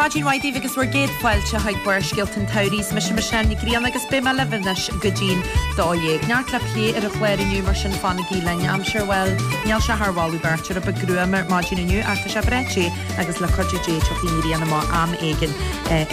Maidin mhaith daoibh agus bhur gcéad fáilte chuig Barrscéalta an tSamhraidh. Is mise Michelle Ní Ghrianna agus beidh mé libh anois go dtí'n 12. Neart le plé ar an chlár inniu mar sin fanaigí linn. Aimsir, bhuel, níl sé thar mholadh beirte, rud beag gruama ar maidin inniu ach tá sé breá te agus le cuidiú Dé tiocfaidh an ghrian amach am éigin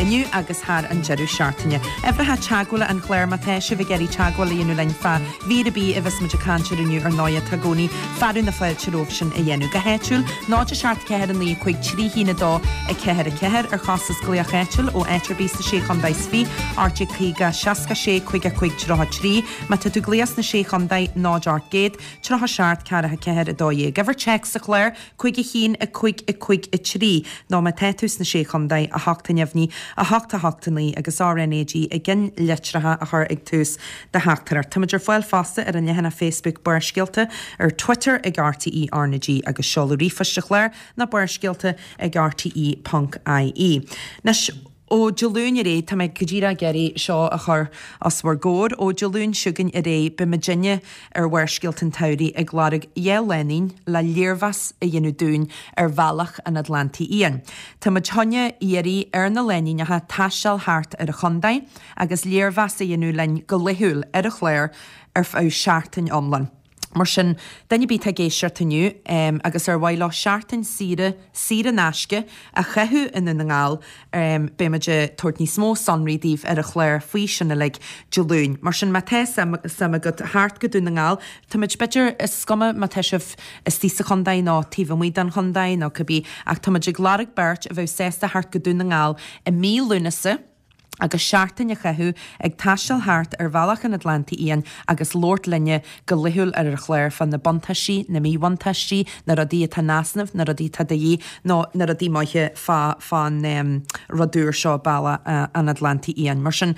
inniu agus thar an deireadh seachtaine. Uimhreacha teagmhála an chláir má tá sibh ag iarraidh teagmháil a dhéanamh linn fá mhír ar bith a bheas muid ag caint air inniu ar ndóighe tá i gcónaí fearadh na fáilte romhaibh sin a dhéanamh. Go háitiúil, 0 7 4 9 5 3 1 2 4 4, ar chostas glaoch áitiúil ó áit ar bith sna Sé Chondae is Fiche, 1850 66 55 33. Má tá tú ag glaoch sna Sé Chondae, 0 800 37 4 4 12. Uimhir téacs sa chlár, 5 1 5 5 3, nó má tá tú sna Sé Chondae, 8 neamhní, 8 8 9 agus RnaG i gceannlitreacha a chur ag tús do theachtaireacht. Táimid ar fáil fosta ar an leathanach Facebook Barrscéalta, ar Twitter ag RTÉ RnaG agus seoladh ríomhphoist an chláir ná barrscéalta ag rte ponc ie. Anois, ó Dé Luain ar aghaidh, tá mé go díreach ag iarraidh seo a chur os bhur gcomhair, ó Dé Luain seo chugainn ar aghaidh beidh muidinne ar Bharrscéalta an tSamhraidh ag lorg 2 lánúin le léirmheas a dhéanamh dúinn ar Bhealach an Atlantaigh Fhiáin. Tá muid chun iarraidh ar na lánúineacha taisteal thart ar an chontae agus léirmheas a dhéanamh linn go laethúil ar an chlár ar feadh seachtain iomlán. Mar sin, duine ar bith atá ag éisteacht inniu agus ar mhaith leo seachtain saoire saor in aisce a chaitheamh i nDún na nGall, beidh muid ag tabhairt níos mó sonraí daoibh ar an chlár faoi sin uilig Dé Luain. Mar sin, má tá suim agat theacht go Dún na nGall, tá muid, b'fhéidir, is cuma má tá sibh istigh sa chontae nó taobh amuigh den chontae nó cibé, ach tá muid ag lorg beirt a bheadh sásta theacht go Dún na nGall i mí Lúnasa, agus seachtain a chaitheamh ag taisteal thart ar Bhealach an Atlantaigh Fhiáin agus labhairt linne go laethúil ar an chlár fá na buntáistí, na míbhuntáistí, na rudaí atá in easnamh, na rudaí atá de dhíth nó na rudaí maithe fá fán rud úr seo, Bealach an Atlantaigh Fhiáin. Mar sin,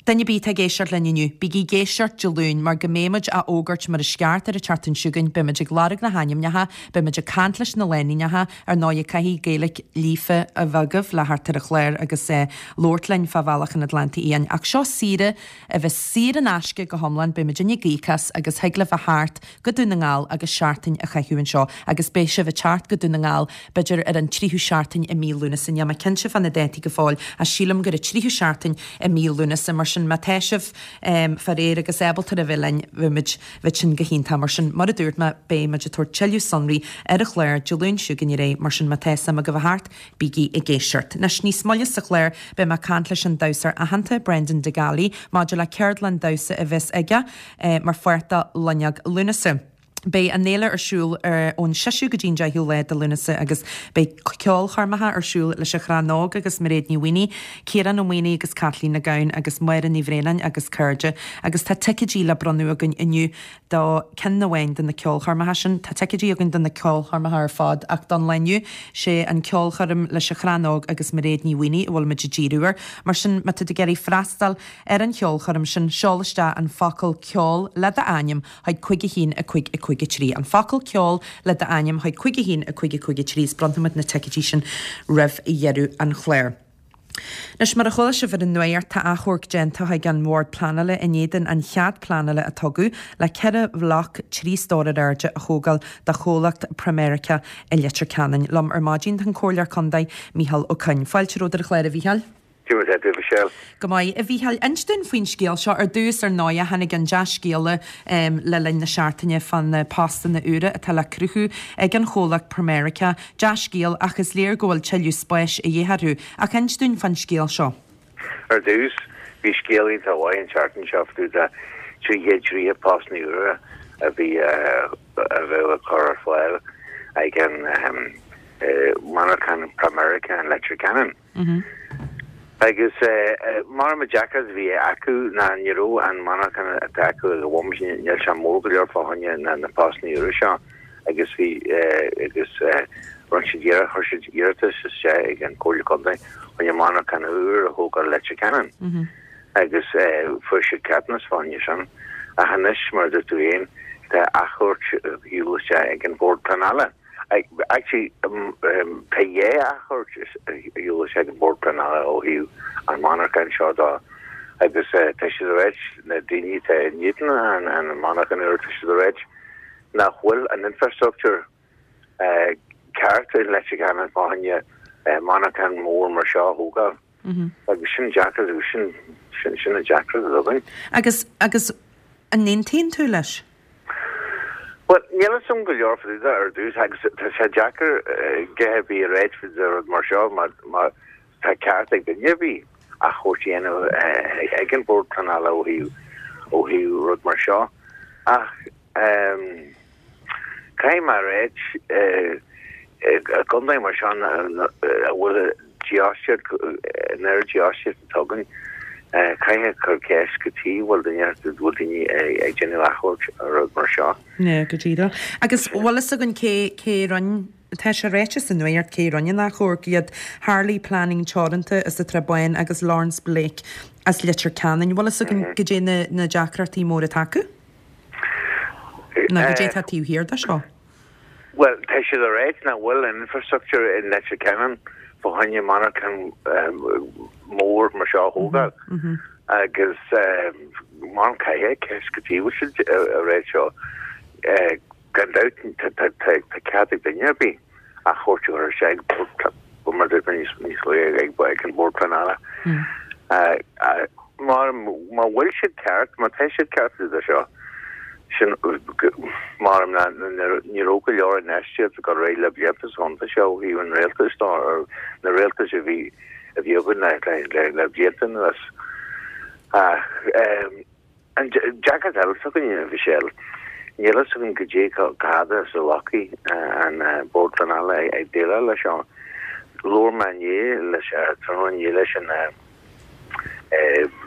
duine ar bith atá ag éisteacht linn inniu, bígí ag éisteacht Dé Luain mar go mbeidh muid á fhógairt mar is ceart ar an tseachtain seo chugainn, beidh muid ag lorg na hainmneacha, beidh muid ag caint leis na lánúineacha, Ar ndóigh, caithfidh Gaeilge líofa a bheith agaibh le theacht ar an chlár agus labhairt linn fá Bhealach an Atlantaigh Fhiáin. Ach seo saoire a bheas saor in aisce go hiomlán, beidh muidinne ag íoc as agus thig libh a theacht go Dún na nGall agus seachtain a chaitheamh anseo agus beidh sibh ag teacht go Dún na nGall b'fhéidir ar an tríú seachtain i mí Lúnasa. Níl mé cinnte fá na dátaí go fóill ach sílim gur an tríú seachtain i mí Lúnasa. Mar sin má tá sibh fá réir agus ábalta a bheith linn, bheadh muid Bheadh sin go hiontach. Mar sin, mar a dúirt mé, beidh muid ag tabhairt tuilleadh sonraí ar an chlár Dé Luain seo chugainn ar aghaidh, mar sin má tá suim agaibh a theacht, bígí ag éisteacht. Anois, níos moille sa chlár, beidh mé ag caint leis an damhsóir aitheanta, Brendan DeGaly, maidir le ceardlann damhsa a bheas aige mar pháirt de Loinneog Lúnasa. Beidh an fhéile ar siúl ón 6ú go dtí an 10ú lá de Lúnasa agus beidh ceolchoirmeacha ar siúl leis an Chrannóg agus Mairéad Ní Mhaonaigh, Ciarán Ó Maonaigh agus Caitlín Nic Gabhann agus Máire Ní Bhraonáin agus cairde agus tá ticéidí le bronnadh againn inniu do ceann amháin de na ceolchoirmeacha sin. Tá ticéidí againn do na ceolchoirmeacha ar fad ach don lá inniu sé an ceolchoirm leis an Chrannóg agus Mairéad Ní Mhaonaigh a bhfuil muid ag díriú air. Mar sin má tá tú ag iarraidh freastal ar an cheolchoirm sin seol isteach an focal 'ceol' le d'ainm chuig 5 1 5 5 3. An focal 'ceol' le d'ainm chuig 5 1 5 5 3 is bronnfaimid na ticéidí sin roimh dheireadh an chláir. Anois, mar a chuala sibh ar an nuacht, tá achomharc déanta chuig an mBord Pleanála in éadan an chead pleanála a tugadh le 4 bhloc 3 stór ar airde a thógáil do chomhlacht Pramerica i Leitir Ceanainn. Liom ar maidin tá an Comhairleoir Contae, Micheál Ó Coinn. Fáilte romhat ar an chlár, a Mhícheáil. Cad é mar atá tú, a Mhichelle? Go maith, a Mhícheáil. Inis dúinn faoin scéal seo. Ar dtús, ar ndóighe, tháinig an dea-scéala le linn na seachtaine fá na postanna úra atá le cruthú ag an chomhlacht Pramerica. Dea-scéal, ach is léir go bhfuil tuilleadh spáis a dhíth orthu. Ach inis dúinn fán scéal seo. Ar dtús, bhí scéal iontach mhaith an tseachtain seo fá dtaobh de 330 postanna úra a bhí a bheadh á cur ar fáil ag an monarchan Pramerica in Leitir Ceanainn. Agus mar an deacracht a bhí acu ná ní raibh an monarchan atá acu ag an bhomaite, níl sé mór go leor fá choinne na postanna úra seo agus bhí agus rinne siad iarracht, chuir siad iarratas isteach ag an Comhairle Contae choinne monarchan úr a thógáil i Leitir Ceanainn agus fuair siad ceadúnas fá choinne sin. Ach anois, mar a dúirt tú féin, tá achomharc ar shiúl isteach ag an Bhord Pleanála. Actually, tá dhá achomharc ar shiúl isteach ag an Bord Pleanála ó thaobh an monarchan seo de agus tá siad ag ráit, na daoine atá in éadan an monarchan úr, tá siad ag ráit nach bhfuil an infrastructure ceart i Leitir Ceanainn fá choinne. Monarchan mór mar seo a thógáil. Agus sin deacair, agus sin, sin, sin an deacracht atá againn. Agus, agus an n-aontaíonn tú leis? Bhuel, níl a fhios agam go leor fá dtaobh de ar dtús agus tá sé deacair a dhath ar bith a ráit fá dtaobh de rud mar seo mar, mar tá ceart ag duine ar bith achomharc a dhéanamh ag an Bord Pleanála ó thaobh, ó thaobh rud mar seo. Ach caithfidh mé a ráit, i gcontae mar seo a bhfuil dífhostaíocht, an oiread dífhostaíocht atá againn, caithfidh cur ceist cad chuige a bhfuil duine, bhfuil daoine ag déanamh achomhairc ar rud mar seo. Yeah, go díreach. Agus bhfuil fhios againn cé, cé rinne, tá sé ráite sa nuacht cé rinne an achomharc, iad Harley Planning Teoranta as an tSrath Bán agus Lawrence Blake as Leitir Ceanainn. Bhfuil fhios againn goidé na, na deacrachtaí móra atá acu? Nó goidé atá taobh thiar de seo? Bhuel, tá siad ag ráit nach bhfuil an infrastructure i Leitir Ceanainn fá choinne monarchan mór mar seo a thógáil agus mar caithfidh ceist cad chuige a bhfuil siad ag ráit seo. Gan dabht tá cead ag duine ar bith achomharc a chur isteach mar dúirt mé níos luaithe ag an Bord Pleanála. Má bhfuil siad ceart, má tá siad ceart de seo, sin mar ní raibh go leor infheistíocht ag dul ar aghaidh le blianta sa chontae seo ó thaobh an rialtais de, na rialtais a bhí a bhí againn le blianta anuas. Ach an deacracht eile atá againn, a Mhichelle, níl a fhios againn goidé chomh fada is a ghlacfaidh an Bord Pleanála ag déileáil leis seo. Labhair mé inné leis, tráthnóna inné leis an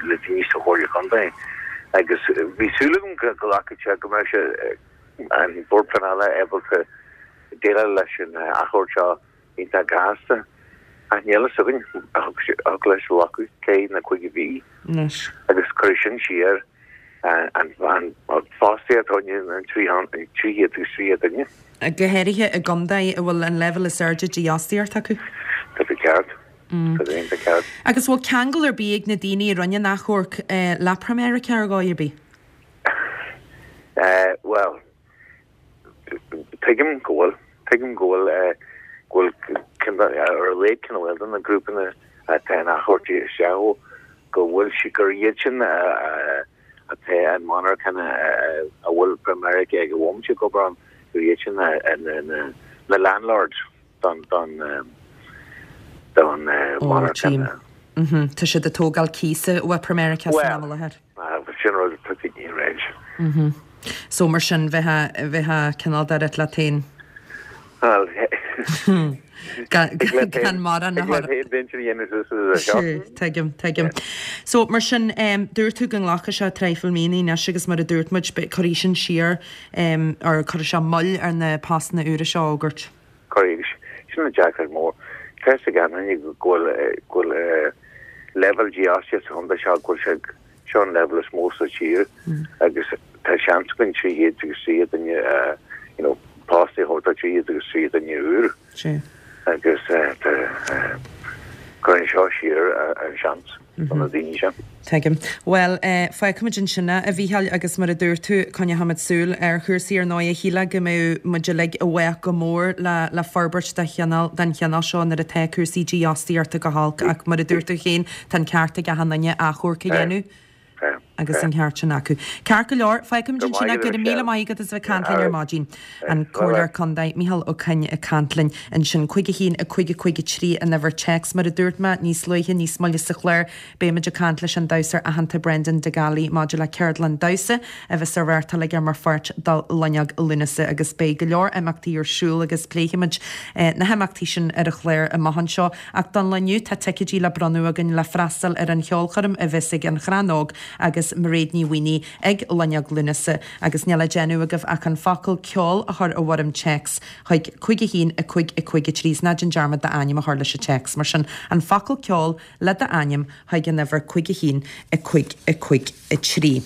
le daoine sa Chomhairle Contae agus bhí súil agam go nglacfadh sé, go mbeadh sé, an Bord Pleanála ábalta déileáil leis an achomharc seo iontach gasta ach níl a fhios againn thig leis glacadh 4 nó 5 mhí agus cuirfidh sin siar an fostaíocht fá choinne an 300 agus 30 duine. Go háirithe i gcontae a bhfuil an leibhéal is airde dífhostaíocht acu. Tá tú ceart. Tá tú iontach ceart. Agus bhfuil ceangal ar bith ag na daoine a rinne an achomharc le Primerica ar dhóigh ar bith? Bhuel, tuigim go bhfuil. Tuigim go bhfuil, go bhfuil ar a laghad ceann amháin de na grúpanna atá an achomharc isteach ó, go bhfuil sí, gur iad sin atá an monarchan a bhfuil Primerica ag an bhomaite ag obair ann, gur iad sin na landlords don don don monarchan. Tá siad ag tógáil cíosa ó Primerica san am i láthair. Bhuel, sin rud atá daoine ag ráit. So mar sin, bheifeá cineál de rith leat féin. Bhuel, Gan mórán a chur. Sure, tuigim, tuigim. So mar sin, dúirt tú go nglacfaidh sé traidhfil míonna anois agus mar a dúirt muid, cuirfidh sin siar, or cuirfidh sé moill ar na postanna úra seo a fhógairt. Cuirfidh. Sin an deacracht mór. Tá a fhios ag gach éinne go bhfuil, go bhfuil leibhéal dífhostaíocht sa chontae seo, go bhfuil sé, seo an leibhéal is mó sa tír agus tá seans againn 300 agus 30 duine a, you know, post a thabhairt do 300 agus 30 duine úr. Sea. Agus tá, cuireann seo siar an seans do na daoine sin. Tuigim. Bhuel, fágfaimid ansin é, a Mhícheáil, agus mar a dúirt tú, coinneochaimid súil ar chúrsaí ar ndóigh. Shílfeá go mbeadh muid uilig i bhfách go mór le le forbairt de chineál den chineál seo nuair atá cúrsaí dífhostaíochta go holc ach mar a dúirt tú féin, tá an ceart ag achan duine achomharc a dhéanamh agus an ceart sin acu. Ceart go leor, fágfaimid ansin é. Go raibh míle maith agat as a bheith ag caint linn ar maidin. An Comhairleoir Contae Mícheál Ó Coinn ag caint linn ansin. 5 1 5 5 3 an uimhir téacs. Mar a dúirt mé níos luaithe, níos moille sa chlár, Beimid ag caint leis an damhsóir aitheanta Brendan de Gallaí maidir le ceardlann damhsa a bheas á reáchtáil aige mar pháirt de Loinneog Lúnasa agus beidh go leor imeachtaí ar siúl agus pléifimid na himeachtaí sin ar an chlár amach anseo. Ach don lá inniu tá ticéidí le bronnadh againn le freastal ar an cheolchoirm a bheas ag An Chrann Óg agus Mairéad Ní Mhaonaigh ag Loinneog Lúnasa agus níl le déanamh agaibh ach an focal 'ceol' a chur i bhfoirm téacs chuig 5 1 5 5 3 is ná déan dearmad d'ainm a chur leis an téacs. Mar sin, an focal 'ceol' le d'ainm chuig an uimhir 5 1 5 5 3.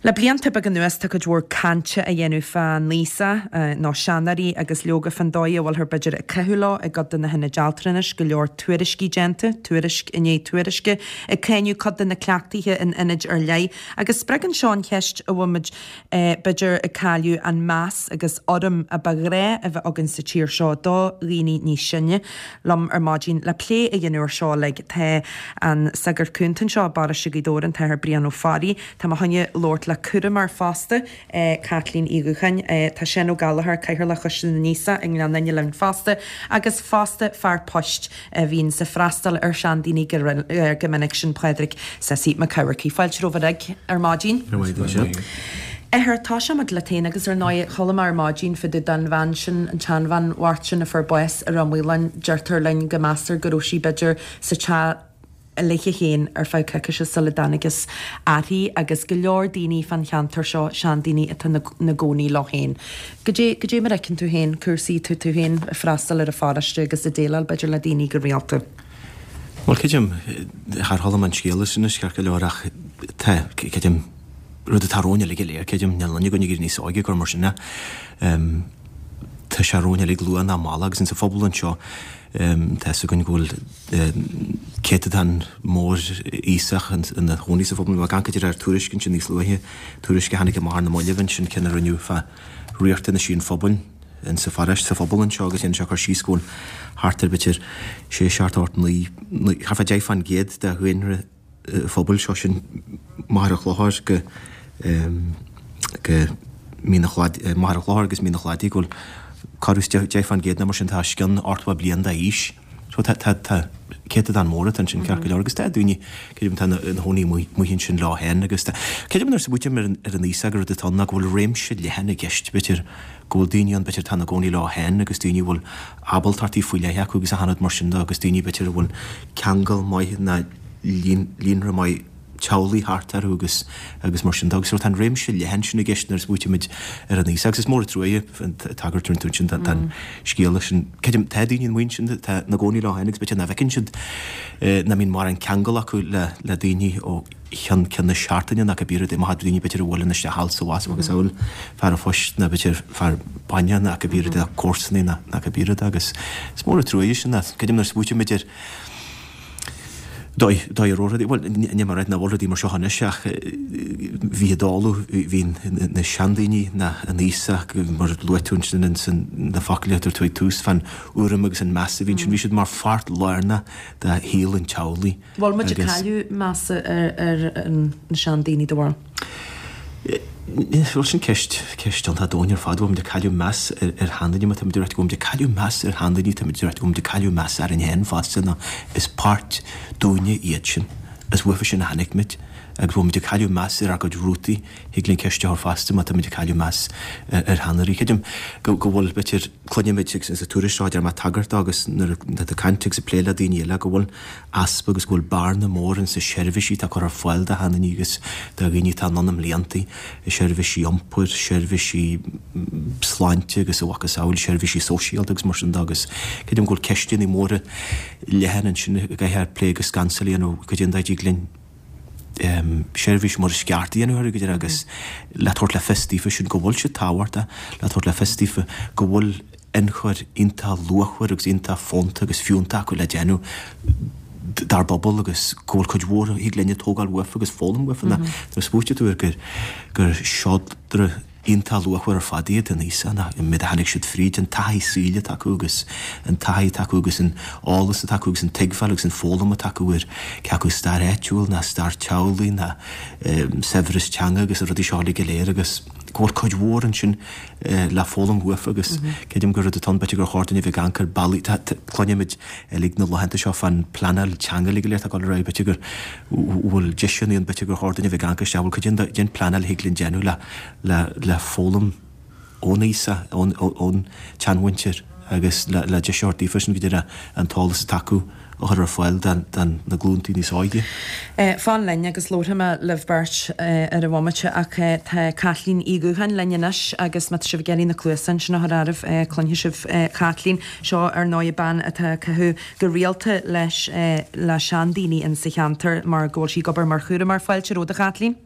Le blianta beaga anuas tá cuid mhór cainte á dhéanamh fán aosach, nó seanóirí, agus leoga fán dóigh a bhfuilthear b'fhéidir ag caitheamh leo i gcuid de na hionaid altranais, go leor tuairiscí déanta, tuairisc i ndiaidh tuairisce, ag cáineadh cuid de na cleachtaithe in ionaid ar leith. Agus spreagann seo an cheist an bhfuil muid b'fhéidir ag cailleadh an meas agus urraim a ba ghnáth a bheith againn sa tír seo do dhaoine níos sine. Liom ar maidin le plé a dhéanamh ar seo uilig tá an Sagart Cúnta anseo i bparóiste Ghaoth Dobhair, an tAthair Brian Ó Fearraigh. Tá mé chun labhairt le cúramóir fosta, Caitlín Uí Dhúcháin. Tá Seán Ó Gallchóir, Cathaoirleach Choiste na nAosach i nGleann Fhinne linn fosta agus fosta fear poist a bhíonns ag freastal ar seandaoine go minic, sin Pádraig Sassy Mac Eamharcaigh. Fáilte romhaibh uilig ar maidin. Athair, tosóidh muid leat féin agus ar ndóigh chuala mé ar maidin fá dtaobh den bhean sin, an tseanbhean bhocht sin a fuair bás i Ráth Maoláin. Deirtear linn go meastar go raibh sí b'fhéidir sa teach léithe féin ar feadh coicíse sula dtángthas uirthi agus go leor daoine fán cheantar seo, seandaoine atá ina gcónaí leo féin. Goidé, goidé mar a fheiceann tú féin cúrsaí, tú, tú féin ag freastal ar an pharóiste agus ag déileáil b'fhéidir le daoine go rialta? Bhuel, creidim, char chuala mé an scéal sin anois ceart go leor ach tá, creidim, rud atá romhainn uilig go léir, creidim, níl aon duine againn ag éirí níos óige gur mar sin é. Tá sé romhainn uilig luath ná mall agus insa phobal anseo tá fhios againn go bhfuil céatadán mór aosach ina chónaí sa phobal. Bhí mé ag amharc ar tuairisc ansin níos luaithe, tuairisc a tháinig amach ar na mallaibh ansin, ceann a rinneadh fá riachtanaisí an phobail in sa pharóiste, sa phobal anseo agus dhéanann sé cur síos go bhfuil thart ar b'fhéidir sé, seacht, ocht, naoi, thart fá 10% de dhaonra an phobail seo, sin Machaire Chlochair go go Mín an Chladaigh, Machaire Chlochair agus Mín an Chladaigh go bhfuil corradh is 10% nó mar sin atá os cionn 80 bliain d'aois. So tá tá tá céatadán mór atá ansin ceart go leor agus tá daoine creidim atá ina chónaí amuigh ansin leo féin agus tá creidim nuair a smaoiním ar an ar an aosach gur rud atá ann ná go bhfuil réimse leathan i gceist b'fhéidir go bhfuil daoine ann b'fhéidir atá ina gcónaí leo féin agus daoine a bhfuil ábaltachtaí faoi leith acu agus achan rud mar sin de agus daoine b'fhéidir a bhfuil ceangal maith ná líonra maith teaghlaigh thart orthu agus agus mar sin de. Agus tá an réimse leathan sin i gceist nuair a smaoitímid ar an aosach. Agus is mór an trua é an tagairt a rinne tú ansin don scéala sin. Creidim, tá daoine amuigh ansin atá ina gcónaí leo féin agus b'fhéidir nach bhfeiceann siad, nach mbíonn mórán ceangal acu le le daoine ó cheann ceann na seachtaine nó cibé rud é. Má tá daoine b'fhéidir a bhuaileann isteach thall is abhus agus amhail fear an phoist nó b'fhéidir fear bainne nó cibé rud é, comharsanaí nó cibé rud é. Agus is mór an trua é sin. Creidim nuair a smaoitímid ar dóigh a raibh rudaí, bhuel, níl mé ag ráit nach bhfuil rudaí mar seo anois ach bhí i dtólamh, bhí na seandaoine, na, an aosach, mar a luaigh tú ansin ins na focail a dúirt tú ag tús, fán urraim agus an meas a bhí ansin, bhí siad mar pháirt lárnach de shaol an teaghlaigh. Bhfuil muid ag cailleadh measa ar na seandaoine, do bharúil? Bhuel, sin ceist, ceist iontach domhain ar fad. Bhfuil muid ag cailleadh meas ar sheandaoine? Má tá muid ag ráit go bhfuil muid ag cailleadh meas ar sheandaoine, tá muid ag ráit go bhfuil muid ag cailleadh meas orainn féin fosta, nó is páirt dúinne iad sin. Is uafa sin a tháinig muid. Agus bhfuil muid ag cailleadh meas ar ár gcuid rútaí? Thig linn ceist a chur fosta má tá muid ag cailleadh meas ar sheanóirí. Creidim go bhfuil, b'fhéidir, cluinimid sa tuairisc seo a deir mé tagairt dó agus nuair atá tú ag caint agus ag plé le daoine eile go bhfuil easpa agus go bhfuil bearna mór ins na seirbhísí atá curtha ar fáil do sheandaoine agus do dhaoine atá anonn i mbliantaí, seirbhísí iompair, seirbhísí sláinte agus a mhacasamhail, seirbhísí sóisialta agus mar sin de agus creidim go bhfuil ceisteanna móra leathan ansin a gcaithfear plé agus scansáil a dhéanamh goidé an dóigh a dtig linn seirbhís mar is ceart a dhéanamh orthu go deimhin agus le tabhairt le fios daofa sin go bhfuil siad tábhachtach, le tabhairt le fios daofa go bhfuil ionchur iontach luachmhar agus iontach fónta agus fiúntach acu le déanamh dár bpobal agus go bhfuil cuid mhór a thig linne tógáil uafa agus foghlaim uafa. Nuair a smaoitíonn tú ar gur gur seodra iontach luachmhar ar fad iad an aosach, an méid a tháinig siad fríd, an taithí saoil atá acu agus an taithí atá acu agus an eolas atá acu agus an tuigbheáil agus an foghlaim atá acu ar cé acu stair áitiúil ná stair teaghlaigh ná saibhreas teanga agus na rudaí seo uilig go léir agus go bhfuil cuid mhór ansin le foghlaim uafa agus creidim gur rud atá ann b'fhéidir gur chóir dúinn a bheith ag amharc ar bealaí, cluinimid uilig na laethanta seo fán pleanáil teanga uilig go léir atá ag dul ar aghaidh, b'fhéidir go bhfuil deiseanna ann, b'fhéidir gur chóir dúinn a bheith ag amharc isteach, bhfuil cuid den pleanáil a thig linn déanamh le le le foghlaim ón aosach, ón ón tseanmhuintir agus le le deis a thabhairt daofa sin go dtí an t-eolas atá acu a chur ar fáil don na glúntaí níos óige. Fan linn agus labharfaidh mé libh beirt ar an bhomaite ach tá Caitlín Uí Dhúcháin linn anois agus má tá sibh ag iarraidh na cluasáin sin a chur oraibh cluinfidh sibh Caitlín. Seo ar ndóigh bean atá ag caitheamh go rialta leis le seandaoine insa cheantar mar go bhfuil sí ag obair mar chúramóir. Fáilte romhat a Chaitlín.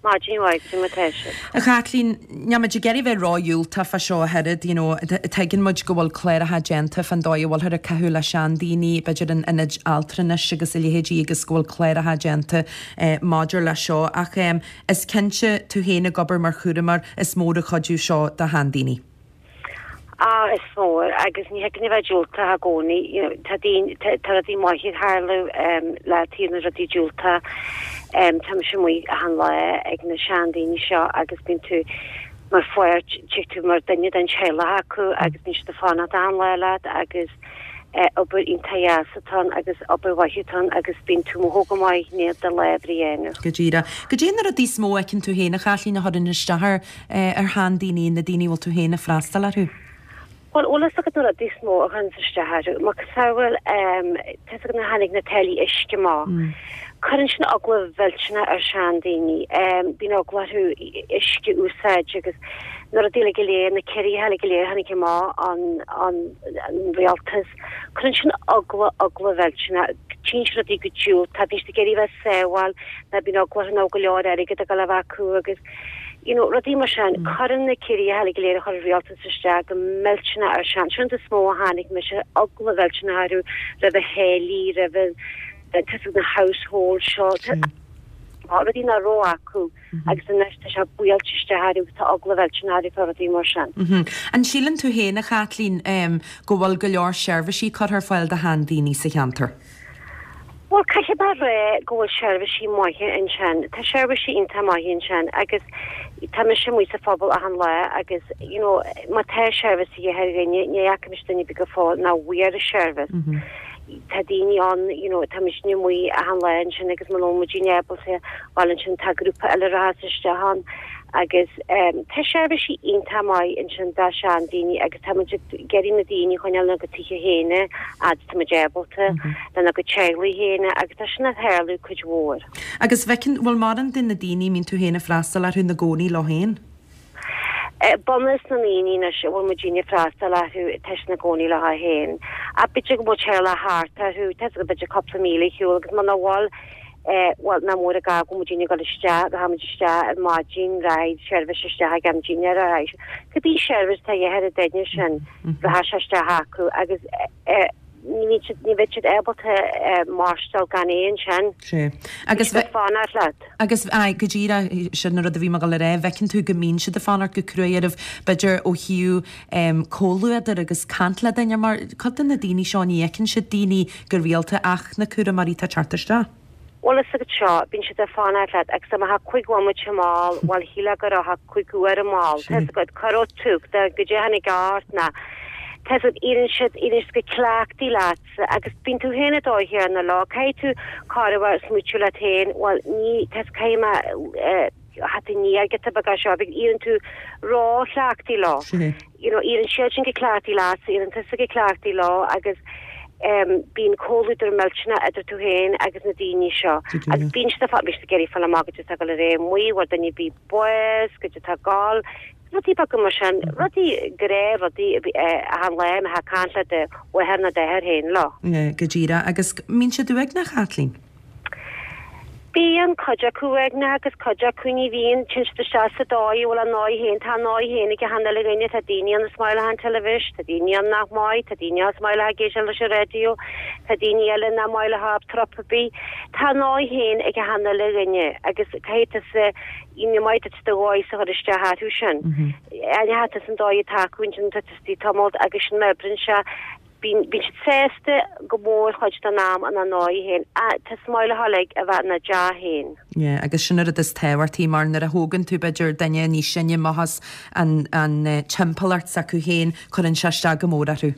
Maidin mhaith, cad é mar tá sibh? A Chaitlín, níl muid ag iarraidh bheith ró-dhiúltach fá seo ach oiread, you know, tuigeann muid go bhfuil cláracha déanta fán dóigh a bhfuilthear ag caitheamh le seandaoine, b'fhéidir in ionaid altranais agus a leithéidí agus go bhfuil cláracha déanta maidir leis seo ach is cinnte, tú féin ag obair mar chúramóir, is mór an cuidiú seo do sheandaoine. Ah, is mór, agus ní thig linn a bheith diúltach i gcónaí. You know, tá daoine, tá, tá rudaí maithe ag tarlú um, le taobh na rudaí diúltach. Um, tá mise amuigh achan lá ag na seandaoine seo agus bíonn tú mar pháirt, tig tú mar duine den teaghlach acu agus bíonn siad ag fanacht achan lá leat agus eh, obair iontach dheas atá ann agus obair mhaith atá ann agus bíonn tú amuigh go maith i ndiaidh do lá oibre a dhéanamh. Go díreach. Goidé na rudaí is mó a fheiceann tú féin, a Chaitlín, a chuireann isteach ar ar sheandaoine, na daoine a bhfuil tú féin ag freastal orthu? Bhuel, bhfuil fhios agat na rudaí is mó a chuireanns isteach orthu, macasamhail, tá fhios agat nuair a tháinig na táillí uisce amach. Cuireann sin eagla mhillteanach ar sheandaoine. Bíonn eagla orthu uisce a úsáid agus na rudaí uilig go léir, na ciorruithe uilig go léir a tháinig amach ón, ón rialtas. Cuireann sin eagla, eagla mhillteanach. Tchíonn siad rudaí go diúltach, bíonn siad ag iarraidh a bheith sábháil, nó bíonn eagla orthu nach bhfuil go leor airgid ag dul a bheith acu agus, you know, rudaí mar sin. Cuireann na ciorruithe uilig go léir a chuir an rialtas isteach go millteanach ar sean. Sin an rud is mó a chonaic mise, eagla mhillteanach orthu roimh na táillí, roimh an, tá fhios agat na household seo, rudaí nach raibh acu agus anois tá sé buailte isteach orthu agus tá eagla mhillteanach orthu fá rudaí mar sin. An síleann tú féin, a Chaitlín, go bhfuil go leor seirbhísí curtha ar fáil do sheandaoine sa cheantar? Bhuel, caithfidh mé a rá go bhfuil seirbhísí maithe ansin. Tá seirbhísí iontach maithe ansin agus tá mise amuigh sa phobal achan lá agus, you know, má tá seirbhís a dhíth ar dhuine, ní fhaca mise duine ar bith go fóill nach bhfuair an seirbhís. Tá daoine ann, you know, tá muidne amuigh achan lá ansin agus muna bhfuil muidne ábalta, bhuel ansin tá grúpa eile a rachas isteach ann agus tá seirbhísí iontach maith ansin do seandaoine agus tá muid ag iarraidh na daoine a choinneáil ina gcuid tithe féin a fhad is tá muid ábalta. lena gcuid teaghlaigh féin agus tá sin ag tarlú cuid mhór. Agus bhfeiceann, bhfuil mórán de na daoine a mbíonn tú féin ag freastal orthu ina gcónaí leo féin? Bunús na ndaoine anois a bhfuil muidinne ag freastal orthu tá siad ina gcónaí leo féin. Ach b'fhéidir go bhfuil teaghlach thart orthu, tá fhios agat b'fhéidir cúpla míle ar shiúl agus muna bhfuil, bhuel, nach mór an gá go bhfuil muidinne ag dul isteach, rachaidh muid isteach ar maidin, rachaidh seirbhís isteach ag am dinnéir, rachaidh, cibé seirbhís atá de dhíth ar an duine sin, rachaidh sé isteach acu agus ní ní bheidh siad ábalta maireachtáil gan é ansin. Sea. Agus Bhí siad ag fanacht leat. Agus, aye, go díreach, sin an rud a bhí mé ag dul a rá, bhfeiceann tú go mbíonn siad ag fanacht go cruaidh oraibh, b'fhéidir ó thaobh em comhluadar agus caint le duine, mar cuid de na daoine seo ní fheiceann siad daoine go rialta ach na cúramóirí atá ag teacht isteach. Bhuel fhios agat seo, bíonn siad ag fanacht leat agus dá mbeifeá cúig bhomaite mall, bhuel shílfeá go raibh cúig uair mall, tá fhios agat, cuireadh tú, go dté tháinig ort ná, tá fhios agat, éiríonn siad, éiríonn siad go cleachtaí leatsa agus bíonn tú féin an dóigh chéanna leo, caithfidh tú corruair smaoitiú leat féin, bhuel ní, tá fhios caithfidh mé eh, theacht aniar giota beag as seo, éiríonn tú ró-chleachtaí leo. you know, éiríonn siad sin go cleachtaí leatsa, éiríonn tusa go cleachtaí leo agus em bíonn comhluadar millteanach idir tú féin agus na daoine seo. Agus bíonn siad ag fáil, bíonn siad ag iarraidh fáil amach goidé atá ag dul ar aghaidh amuigh, bhfuil duine ar bith bás, goidé atá ag dul, rudaí beaga mar sin, rudaí gnáthrudaí achan lá a mbeifeá ag caint le do mháthair nó d'athair féin leo. Yeah, go díreach. Agus mbíonn siad uaigneach, a Chaitlín? Bíonn cuid acu uaigneach agus cuid acu ní bhíonn. Téann siad isteach sa dóigh a bhfuil a ndóigh féin. Tá a ndóigh féin ag achan uile dhuine. Tá daoine ann is maith leo an teilifís, tá daoine ann nach maith, tá daoine ann is maith leo ag éisteacht leis an raidió, tá daoine eile nach maith leo trup ar bith. Tá a ndóigh féin ag achan uile dhuine agus caithfidh tusa, ní maith duit do dhóigh-sa a chur isteach orthu sin. Aithneoidh tusa an dóigh atá acu ansin tá tusa ag tamalt agus sin mar a oibríonn sé. Bíonn siad sásta go mór chuid den am ina ndóigh féin. Tá is maith leo uilig a bheith ina dteach féin. Yeah, agus sin an rud is tábhachtaí mar nuair a thógann tú b'fhéidir duine níos sine amach as an an timpeallacht s'acu féin, cuireann sé isteach go mór orthu.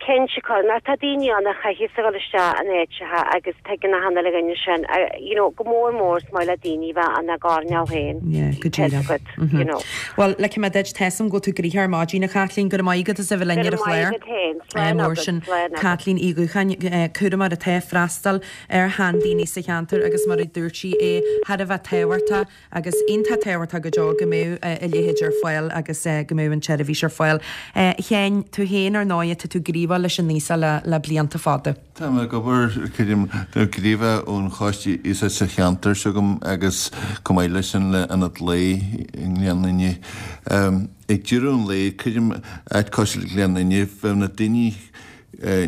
Cinnte cuireann, ach tá daoine ann a chaithfeas a dhul isteach in áiteacha agus tuigeann achan uile dhuine sin, you know, go mór mór is maith le daoine bheith ina gcoirnéal féin. Yeah, go díreach. Tá fhios agat, you know. Bhuel, ligfidh mé duit, tá 'fhios a'm go bhfuil tú gnoitheach ar maidin, a Chaitlín, go raibh maith agat as a bheith linn ar an Go raibh maith chlár. agat féin. Slán Mór agat, sin slán agat. Caitlín Uí Dhúcháin, cúramóir atá ag freastal ar sheandaoine sa cheantar agus mar a dúirt sí é thar a bheith tábhachtach agus iontach tábhachtach go deo go mbeadh a leithéid ar fáil agus go mbeadh an tseirbhís ar fáil. A Sheáin, tú féin ar ndóigh, tá tú gníomhach. teagmháil leis an aosach le le blianta fada. Tá mé ag obair, creidim, gníomhach ón Choiste Aosaigh sa cheantar s'agam agus chomh maith leis sin le Ionad Lae i nGleann Fhinne. Ag deireadh an lae, creidim, áit cosúil le Gleann Fhinne, bheadh na daoine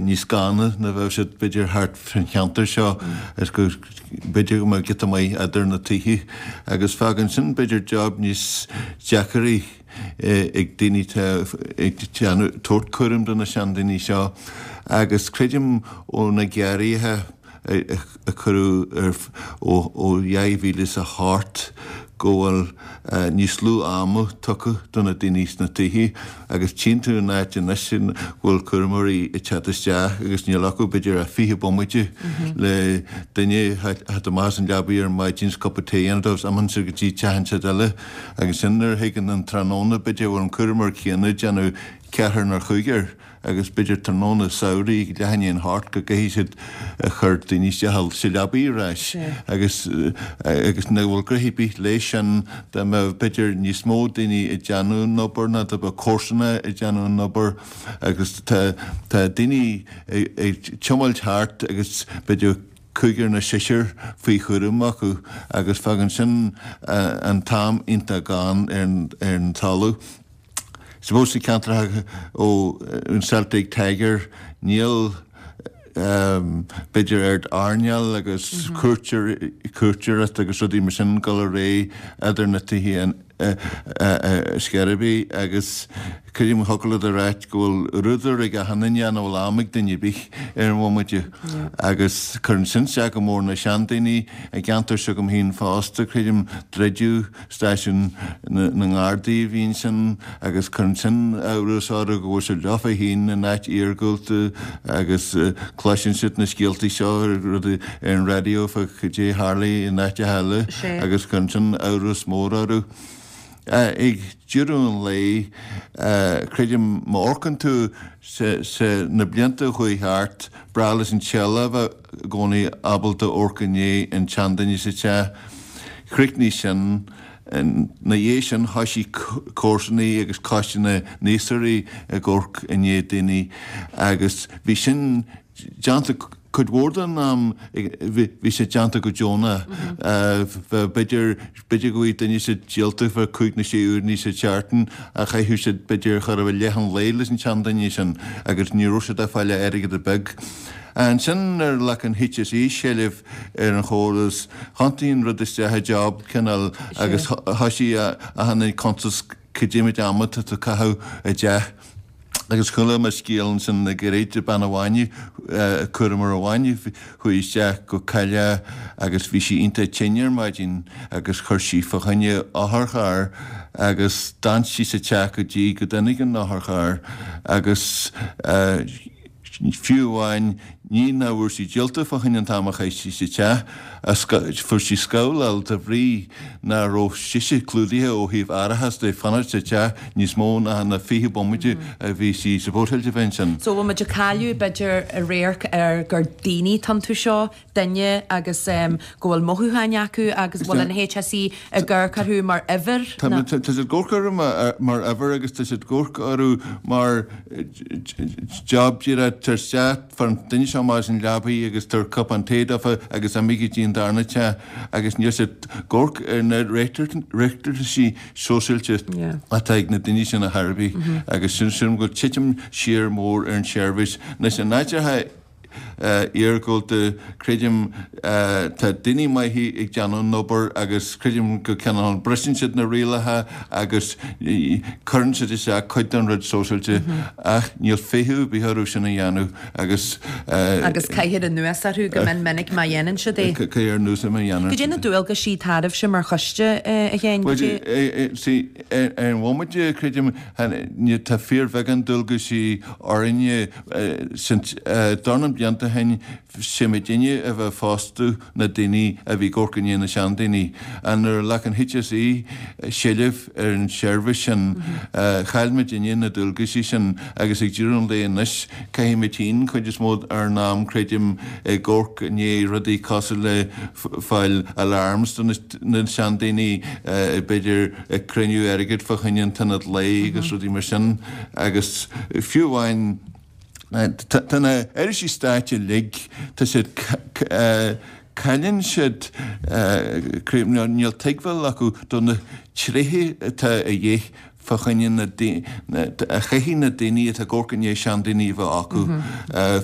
níos ganna ná bheadh siad b'fhéidir thart fán cheantar seo is go b'fhéidir go mbeadh giota maith eadar na tithe agus fágann sin b'fhéidir job níos deacraí ag daoine atá ag déanamh tabhairt cúram do na seandaoine seo agus creidim ó na giorruithe a cuireadh ar ó 2008 go bhfuil níos lú ama tugtha do na daoine sna tithe agus tchíonn tú in áit anois go bhfuil cúramóirí ag teacht isteach agus níl acu b'fhéidir ach 20 bomaite le duine a theacht amach as an leabaidh ar maidin is cupa tae a dhéanamh dóibh is imíonn siad go dtí teach an tseid eile agus sin nuair a thigeann an tráthnóna b'fhéidir bhfuil an cúramóir céanna ag déanamh ceathrar nó chúigear. agus b'fhéidir tráthnóna samhraidh leath i ndiaidh an hocht go gcaithfidh siad a chur daoine isteach sa leabaidh ar ais agus agus nach bhfuil gnoithe ar bith leis sin dá mbeadh b'fhéidir níos mó daoine ag déanamh an obair ná dá mbeadh comharsana ag déanamh an obair agus tá tá daoine ag tiomáilt thart agus b'fhéidir cúigear nó seisear faoi chúram acu agus fágann sin an t-am iontach gann ar an talamh. Suppose sa ceantar ó an Celtic Tiger níl b'fhéidir oiread airneáil agus cuairteoireacht agus rudaí mar sin dul ar aghaidh idir na tithe ar scor ar bith agus creidim thiocfadh leat a ráit go bhfuil rúdar ag achan duine nach bhfuil am ag duine ar bith ar an bhomaite agus cuireann sin isteach go mór na seandaoine i gceantar s'agam féin fosta creidim druideadh Stáisiún na nGardaí a bhí ansin agus cuireann sin amhras orthu go bhfuil siad leofa féin in áit iargúlta agus cloiseann siad na scéaltaí seo rudaí ar an raidió fá cad é a tharlaigh in áiteacha eile agus cuireann sin amhras mór orthu. Ag deireadh an lae, creidim, má amharcann tú sa na blianta a chuaigh thart, breá leis an teaghlach a bheith i gcónaí ábalta amharc i ndiaidh an tseanduine sa teach. Chríochnaigh sin. Ina dhiaidh sin thoisigh comharsanaí agus coiste na n-iasachtóirí ag amharc i ndiaidh daoine agus bhí sin déanta cuid mhór den am bhí sé déanta go deonach. B'fhéidir b'fhéidir go bhfaigheadh duine siad díolta fá chúig nó sé uaireanna sa tseachtain ach chaitheadh siad b'fhéidir chóir a bheith leath an lae leis an tseanduine sin agus ní raibh siad ag fáil airgead ar bith. Ansin nuair a ghlac an HSE seilbh ar an chóras, thiontaigh an rud isteach i job cineál agus thoisigh achan duine ag cuntas cad é méid ama atá tú ag caitheamh i dteach. Agus chuala mé scéal ansin le gairid de bean amháin, cúramóir amháin a chuaigh isteach go Cailleach agus bhí sí iontach tinn ar maidin agus chuir sí fá choinne otharcharr agus d'fhan sí sa teach go dtí go dtáinig an otharcharr agus Fiú amháin, ní nach bhfuair sí díolta fá choinne an t-am a chaith sí sa teach, fuair sí scabhláil de bhrí nach raibh sise clúdaithe ó thaobh árachas de fanacht sa teach níos mó ná na 20 bomaite a bhí sí supposáilte a bheith ansin. So bhfuil muid ag cailleadh, b'fhéidir, radharc ar gur daoine atá iontu seo, duine agus go bhfuil mothúcháin acu agus bhfuil an HSE ag amharc orthu mar uimhir? Tá siad ag amharc orthu mar uimhir agus tá siad ag amharc orthu mar job díreach tar isteach, fair an duine seo amach as an leabaidh agus tabhair cupán tae dófa agus imigh go dtí an darna teach agus níl siad ag amharc ar na riachtanaisí sóisialta atá ag na daoine sin ar chor ar bith agus sin sin go bhfuil titim siar mór ar an tseirbhís. Anois in áiteacha iargúlta, creidim, tá daoine maithe ag déanamh an obair agus creidim go cineál briseann siad na rialacha agus cuireann siad isteach cuid den rud sóisialta ach níl feitheamh ar bith orthu sin a dhéanamh agus. Agus caithear anuas orthu go mion minic má dhéanann siad é. Caithear anuas má dhéanann siad é. Cad é na dualgaisí atá oraibhse mar choiste, a Sheáin? Bhuel, see, ar an bhomaite, creidim, tá fíorbheagán dualgaisí orainne. Dornán blianta ó shin, sé muidinne a bheith ag fostú na daoine a bhí ag amharc i ndiaidh na seandaoine. Nuair a ghlac an HSE seilbh ar an tseirbhís sin, chaill muidinne na dualgaisí sin agus ag deireadh an lae anois, caithfidh muid féin cuid is mó ár n-am, creidim, ag amharc i ndiaidh rudaí cosúil le fáil alarms do na seandaoine, b'fhéidir ag cruinniú airgid fá choinne an t-ionad lae agus rudaí mar sin. Agus fiú amháin. Tá na irisí stáit uilig, tá siad, cailleann siad, níl tuigbheáil acu do na tréithe atá a dhíth fá choinne na, a chaithfidh na daoine atá ag amharc i ndiaidh seandaoine a bheith acu.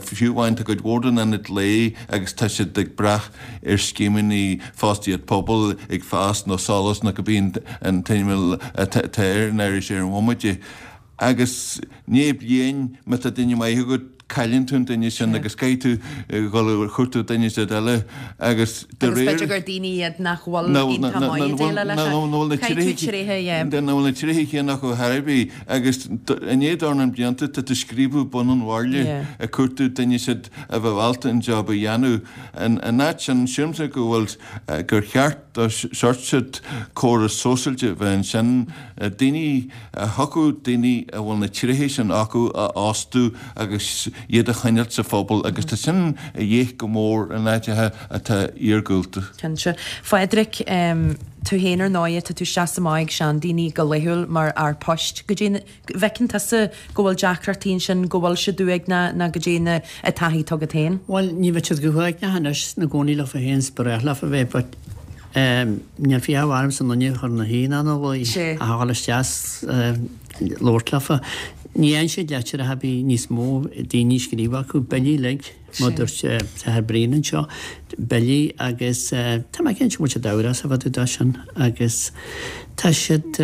Fiú amháin tá cuid mhór den ionad lae agus tá siad ag brath ar scéimeanna fostaíocht pobail ag fás nó Solas nó cibé an t-ainm atá ar an iris ar an bhomaite. Agus i ndiaidh bliain, má tá duine maith agat, cailleann tú an duine sin agus caithfidh tú dhul a chuartú duine inteacht eile agus de réir. Agus b'fhéidir gur daoine iad nach bhfuil iontach maith ag déileáil leis sin. Caithfidh tú tréithe, yeah. Nach bhfuil na tréithe céanna acu ar bith agus i ndiaidh dornán blianta tá tú ag scríobadh bun an bhairille ag cuartú duine inteacht a bheadh ábalta an job a dhéanamh. In áit sin, sílimse go bhfuil, gur cheart do shórt córas sóisialta a bheith ansin, daoine, a thiocfadh daoine a bhfuil na tréithe sin acu a fhostú agus iad a choinneáilt sa phobal agus tá sin a dhíth go mór in áiteacha atá iargúlta. Cinnte. Phádraic, tú féin ar ndóighe, tá tú isteach is amach ag seandaoine go laethúil mar fhear poist. Goidé an bhfeiceann tusa go bhfuil deacrachtaí ansin, go bhfuil siad uaigneach nó goidé an taithí atá agat féin? Bhuel, ní bheadh siad go huaigneach anois ina gcónaí leofa féin 's ba ghnách leofa bheith but Níl fiacha ormsa an duine a chur ina shuí ná ina luí, ach a dhul isteach 's labhairt leofa. Ní fhaigheann siad litreacha ar bith níos mó, daoine ag scríobh acu, billí uilig, mar a dúirt an tAthair Brian anseo, billí agus tá mé cinnte go bhfuil siad amhrasach fá dtaobh de sin agus tá siad,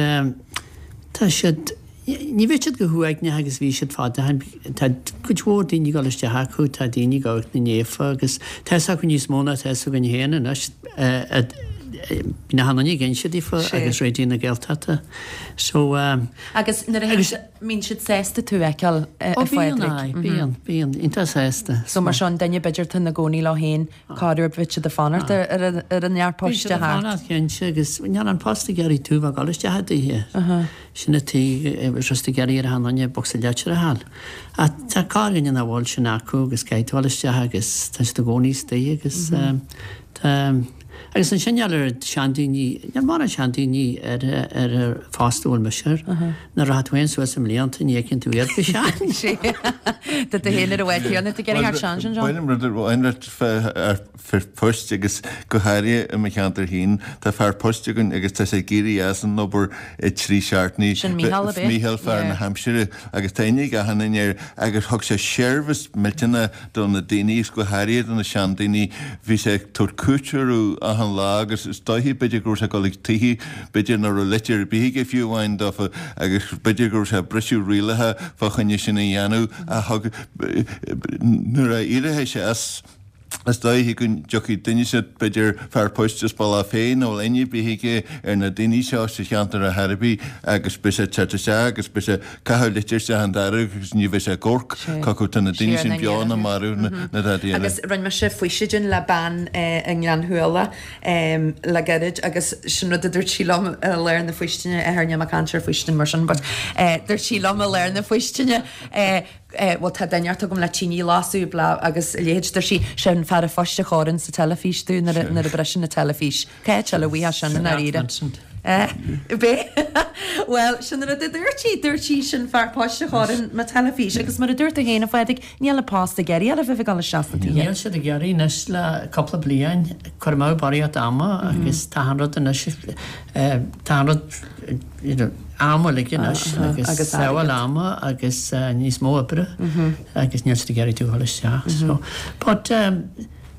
tá siad. Ní bheidh siad chomh huaigneach agus bhí siad fad ó shin. Tá cuid mhór daoine ag dul isteach acu, tá daoine ag amharc na naofa agus tá fhios acu níos mó ná tá fhios againn féin anois. Bíonn achan duine ag inse daofa agus Raidió na Gaeltachta. So. Agus nuair a théann, mbíonn siad sásta tú a fheiceáil, a Phádraig? Ó bíonn, aye, bíonn, bíonn, iontach sásta. So mar seo an duine b'fhéidir atá ina gcónaí leo féin, Corruair bheadh siad ag fanacht ar an fhear poist a theacht. Bíonn siad ag fanacht cinnte agus níl an post ag iarraidh tú bheith ag dul isteach i dtithe. Sin an tuige just ag iarraidh ar achan duine bocsa leitir a fháil. Ach tá corrdhuine nach bhfuil sin acu agus caithfidh tú dul isteach agus tá siad i gcónaí istigh agus tá agus ansin níl ar seandaoine, níl mórán seandaoine ar ar an phost a bhfuil mise air. Nuair a rachaidh tú féin suas i mblianta ní fheiceann tú iad go sean. Tá tú féin ar an bhád céanna, tú ag iarraidh thart sean sin, John? Bainim rud amháin leat fear poist agus go háirithe i mo cheantar féin tá fear poist againn agus tá sé ag éirí as an obair i dtrí seachtainí. Sin Mícheál ab ea? Mícheál fear na haimsire agus tá aithne ag achan duine air agus thug sé seirbhís millteanach do na daoine agus go háirithe do na seandaoine. Bhí sé ag tabhairt cuairt orthu achan lá agus is dóiche b'fhéidir go raibh sé ag dul ag tithe b'fhéidir nach raibh litir ar bith aige fiú amháin dófa agus b'fhéidir go raibh sé ag briseadh rialacha fá choinne sin a dhéanamh ach thug nuair a éireoidh sé as is dóiche go dtiocfaidh duine inteacht b'fhéidir fear poist as Bealach Féich nach bhfuil aithne ar bith aige ar na daoine seo sa cheantar ar chor ar bith agus beidh sé ag teacht isteach agus beidh sé ag caitheamh litir isteach an doras agus ní bheidh sé ag amharc cé acu tá na daoine sin beo nó marbh nó dadaí eile. Agus rinne mise faoisidin le bean i nGleann Shuala le gairid agus sin rud a dúirt sí liom i lár na faoistine, athair níl mé ag caint ar faoistin mar sin but dúirt sí liom i lár na faoistine bhuel tá duine inteacht agam le tine a lasadh blah agus a leithéid dúirt sí sin fear an phoist a chóireann sa teilifís tú nuair a nuair a briseann an teilifís. Cá háit eile a bhfaighfeá sin i ndáiríre? B'é? Bhuel, sin an rud a dúirt sí. Dúirt sí sin fear poist a chóireann mo teilifís. Agus mar a dúirt tú féin, a Phádraig, níl an post ag iarraidh a bheith ag dul isteach sna tithe. Níl siad ag iarraidh anois le cúpla bliain. Cur amú barraíocht ama agus tá an rud anois, tá an rud, you know, am uilig anois agus sábháil ama agus níos mó oibre agus níl siad ag iarraidh tú a dhul isteach. So, but,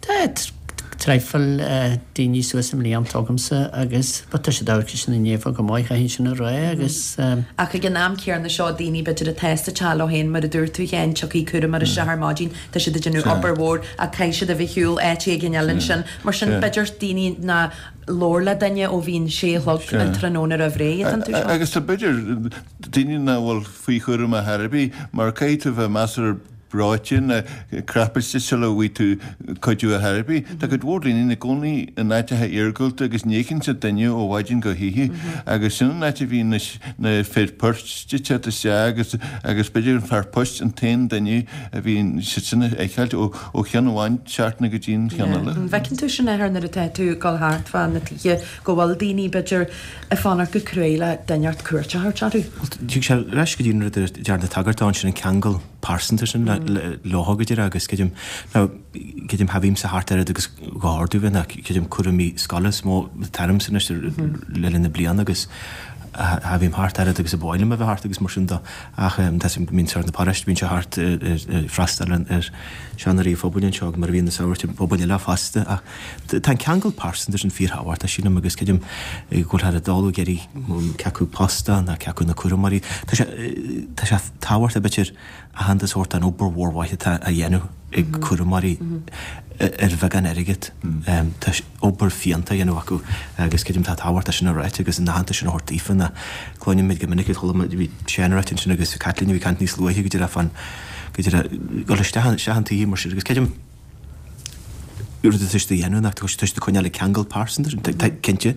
Tá traidhfil daoine suas i mblianta agamsa agus but tá siad ag amharc ar sin naofa go maith, chaithfinn sin a rá agus. Ach ag an am céanna seo, daoine b'fhéidir atá sa teach leo féin, mar a dúirt tú féin, tiocfaidh cúramóir isteach ar maidin, tá siad ag déanamh obair mhór ach caithfidh siad a bheith ar shiúl áit éigin eile ansin. Mar sin, b'fhéidir daoine nár labhair le duine ó bhí an sé a chlog an tráthnóna roimh ré, an tú seo. Agus tá b'fhéidir daoine nach bhfuil faoi chúram ar chor ar bith mar caithfidh tú bheith measartha breoite nó crapailte sula bhfaighidh tú cuidiú ar chor ar bith. Tá cuid mhór daoine ina gcónaí in áiteacha iargúlta agus ní fheiceann siad duine ó mhaidin go hoíche agus sin an áit a bhíonn na fir poist ag teacht isteach agus agus b'fhéidir an fear poist an t-aon duine a bhíonn siad sin a fheiceáilt ó ó cheann amháin seachtaine go dtí an cheann eile. An bhfeiceann tú sin, Athair, nuair atá tú ag dul thart fá na tithe go bhfuil daoine b'fhéidir ag fanacht go cruaidh le duine inteacht cuairt a thabhairt orthu? Tig sé ar ais go dtí an rud a dearnadh tagairt dó ansin, an ceangal. pearsanta sin leo go díreach agus creidim, now, creidim cha bhímse thart oiread agus ba chóir domh bheith ná creidim cúraimí scoile is mó atá ormsa anois le linn na bliana agus cha bhím thart oiread agus a ba mhaith liom a bheith thart agus mar sin de ach tá sé bíonn sort na paráiste bíonn sé thart ag freastal ar seanóirí an phobail anseo mar a bhíonn na samhraidh ar phobail eile fosta ach tá an ceangal pearsanta sin fíorthábhachtach sílim agus creidim go bhfuil thar a dul ag iarraidh cé acu post ná cé acu na cúramóirí tá sé tá sé tábhachtach b'fhéidir aitheantas a thabhairt don obair mhór mhaith atá á dhéanamh ag cúramóirí ar bheagán airgid. Tá obair fiúntach á dhéanamh acu agus creidim tá tábhacht é sin a ráit agus an aitheantas sin a thabhairt daofa ná cluinimid go minic chuala muid bhí Seán ag ráit ansin agus Caitlín a bhí ag caint níos luaithe go díreach fán go díreach dul isteach isteach an tsaothair mar sin agus creidim rud atá siad a dhéanamh ná tá siad ag coinneáil an ceangal pearsanta sin. Tá cinnte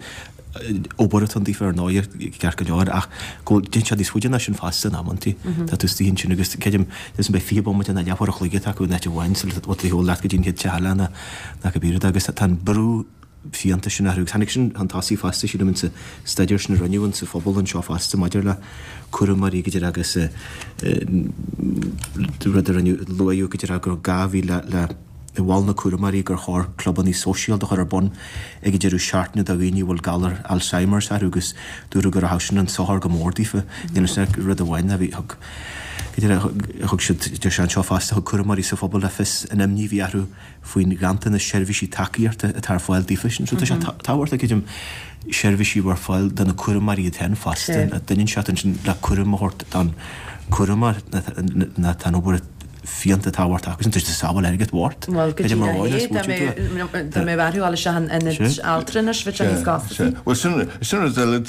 obair atá ann daofa ar ndóigh ceart go leor ach go bhfuil déanann sé níos faide ná sin fosta in amantaí. Tá tú istigh ansin agus creidim is beidh 20 bomaite nó leathuair a chloig atá acu in áit amháin sula bhfuil tú leat go dtí an chéad teach eile ná cibé rud agus tá an brú fiúntach sin orthu. Agus tháinig sin chun tosaigh fosta, sílim, insa staidéar sin a rinneadh insa phobal anseo fosta maidir le cúramóirí go díreach agus rud a rinneadh, luaíodh go díreach go raibh gá a bhí le le mhol na cúramóirí gur chóir clubanna sóisialta a chur ar bun ag an deireadh seachtaine do dhaoine a bhfuil galar Alzheimer's orthu agus dúradh go rachadh sin chun sochair go mór daofa. Níl 'fhios ach rud amháin a bhí, thug, go díreach, thug siad, deir sé anseo fosta, thug cúramóirí sa phobal le fios an imní a bhí orthu faoin ghanntanas seirbhísí tacaíochta atá ar fáil daofa sin. So tá sé tábhachtach, creidim, seirbhísí a bheith ar fáil do na cúramóirí iad féin fosta. Duine inteacht ansin le cúram a thabhairt don chúramóir ná tá an obair fiúntach tábhachtach acu sin. Tá siad ag sábháil airgid bhort. Bhuel, go díreach é, dá mbeadh orthu dul isteach in ionad altranais, bheadh sé níos costasaí. Bhuel, sin rud eile,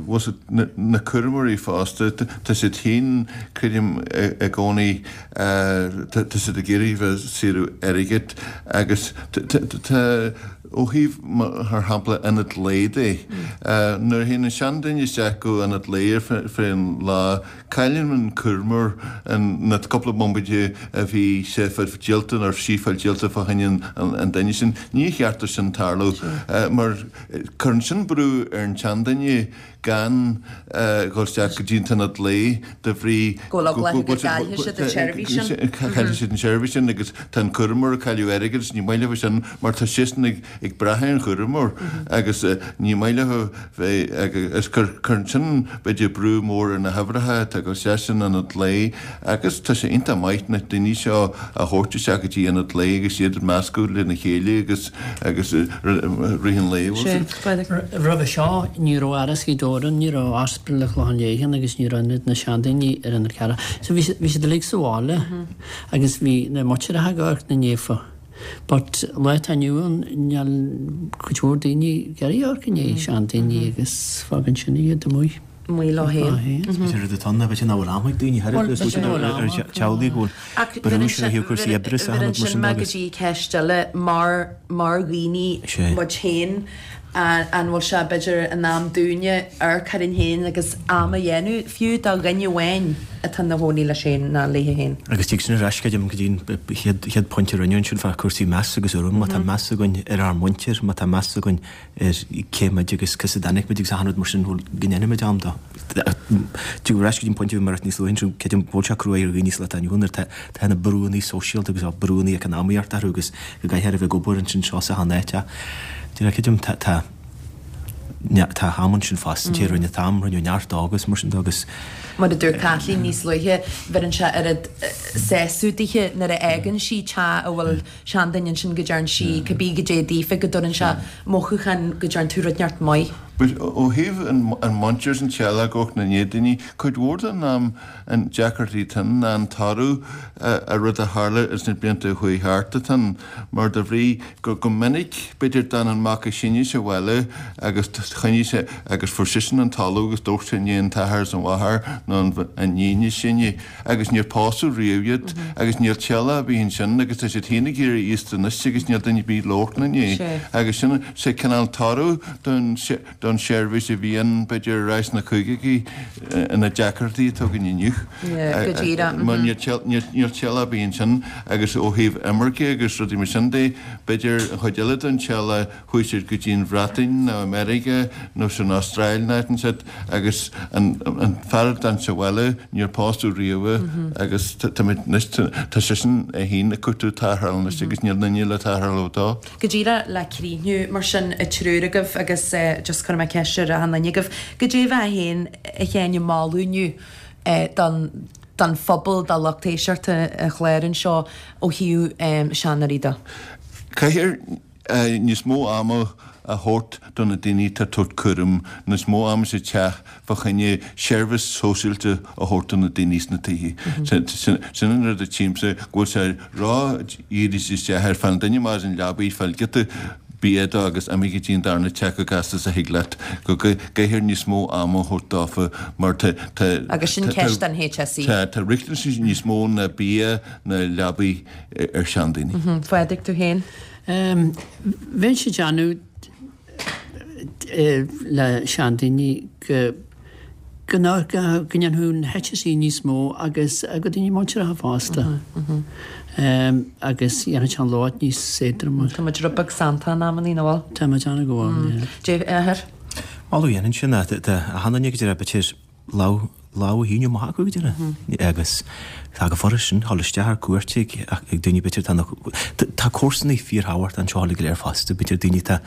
bhfuil na cúramóirí fosta, tá siad féin, creidim, i gcónaí Tá siad ag iarraidh bheith saoradh airgid agus tá, ó thaobh, mar shampla, ionad lae de, nuair a théann an seanduine isteach go ionad lae ar feadh an lá, cailleann an cúramóir na cúpla bomaite a bhí sé fáil díolta nó sí fáil díolta fá choinne an duine sin. Níor cheart dó sin tarlú mar cuireann sin brú ar an tseanduine gan dhul isteach go dtí an t-ionad lae de bhrí go bhfuil eagla orthu go gcaillfidh siad an tseirbhís sin. Caillfidh siad an tseirbhís sin agus tá an cúramóir ag cailleadh airgid agus ní maith leo sin mar tá siadsan ag brath ar an chúramóir agus ní maith leo bheith agus cuireann sin b'fhéidir brú mór ar na huimhreacha atá ag dul isteach san ionad lae agus tá sé iontach maith na daoine seo a thabhairt isteach go dtí ionad lae agus iad ag meascadh lena chéile agus agus rith an lae. Roimhe seo ní raibh Áras Ghaoth Dobhair ann, ní raibh Ospidéal an Chlocháin Léith ann agus ní raibh Ionad na Seandaoine ar an Fhear Cearach. So bhí bhí siad uilig sa bhaile agus bhí na muintireacha ag amharc ina ndiaidh. But lá atá inniu ann níl cuid mhór daoine ag iarraidh amharc i ndiaidh seandaoine agus fágann sin iad amuigh. Amuigh leo féin. Is b'fhéidir rud atá ann, b'fhéidir nach bhfuil am ag daoine thar a bheith ar teaghlaigh go bhfuil brú sin ar chúrsaí oibre is achan rud mar sin agus. Go dtí ceist eile, mar mar dhaoine muid féin, an bhfuil sé b'fhéidir in am dúinne amharc orainn féin agus am a dhéanamh fiú do dhuine amháin atá ina chónaí leis féin nó léi féin. Agus tig sin ar ais, creidim, go dtí an chéad chéad pointe a rinneadh ansin fá cúrsaí meas agus urraim. Má tá meas againn ar ár muintir, má tá meas againn ar cé muid agus cá as a dtáinig muid agus achan rud mar sin, bhuel, go ndéanfaimid am dó. Tig ar ais go dtí an pointe a bhí mé ag ráit níos luaithe ansin, creidim go bhfuil sé cruaidh ar dhaoine sa lá atá inniu ann nuair atá tá na brúanna sóisialta agus brúanna eacnamaíochta orthu agus go gcaithfear a bheith ag obair ansin seo is achan áit ach creidim tá tá tá am ansin fosta, an té a rinne an t-am, rinneadh neart dó agus mar sin de agus. Mar a dúirt Kathleen níos luaithe, bheireann sé oiread sásamh dithe nuair a fhágann sí teach a bhfuil seanduine ansin go dtearn sí cibé goidé daofa go dtabharann sé mothúchán go dtearn tú rud inteacht maith. But ó thaobh an mhuintir is an teaghlach amharc ina ndiaidh daoine, cuid mhór den am an deacrachtaí atá ann ná an toradh ar rud a tharla ins na blianta a chuaigh thart atá ann mar de bhrí go go minic b'fhéidir d'fhan an mac is sine sa bhaile agus choinnigh sé agus fuair seisean an talamh agus d'amharc sé i ndiaidh an t-athair is an mháthair nó an iníon is sine agus níor pósadh riamh iad agus níl teaghlach ar bith ansin agus tá siad féin ag éirí aosta anois agus níl duine ar bith le amharc ina ndiaidh agus sin sé cineál toradh don. don seirbhís a bhí ann b'fhéidir ar ais sna caogaidí na deacrachtaí atá againn inniu. Go díreach. Mar níl teaghlach ar bith ansin agus ó thaobh imirce agus rudaí mar sin de, b'fhéidir an chuid eile den teaghlach chuaigh siad go dtí an Bhreatain nó America nó san Astráil nó áit inteacht agus an fear a d'fhan sa bhaile níor pósadh riamh agus táimid anois, tá seisean é féin ag cuartú tarrthála anois agus níl duine le tarrtháil dó. Go díreach le críochnú mar sin an triúr agaibh agus just cuirfidh mé ceist ar achan duine agaibh, goidé a bheifeá féin a Sheáin ag moladh inniu don don phobal, do lucht éisteachta an chláir anseo ó thaobh seanóirí de? Caithfear níos mó ama a thabhairt do na daoine atá ag tabhairt cúram, níos mó ama sa teach fá choinne seirbhís sóisialta a thabhairt do na daoine sna tithe. Sin an rud a tchímse, go bhfuil sé ró-dhírithe isteach ar fáil an duine amach as an leabaidh, fáil giota bia dó agus imigh go dtí an darna teach chomh gasta is a thig leat. Go gcaithfear níos mó ama a thabhairt dófa mar tá Agus sin ceist don HSE. Tá riachtanais níos mó ná bia ná leabaidh ar seandaoine. Phádraig, tú féin? Bheinnse ag déanamh le seandaoine go go ndéanfadh an HSE níos mó agus go daoine muinteartha fosta agus dhéanfadh sé an lot níos éadroime. Tá muid rud beag sannta in amannaí, nach bhfuil? Tá muid ana go bhfuil, yeah. Dave, athair? Moladh a dhéanfainn sin, tá achan duine go deireadh b'fhéidir lámh lámh a shíneadh amach acu go deireadh agus tá go furast sin dhul isteach ar cuairt ag ag daoine b'fhéidir tá na tá comharsanaí fíorthábhachtach anseo uilig go léir fosta b'fhéidir daoine atá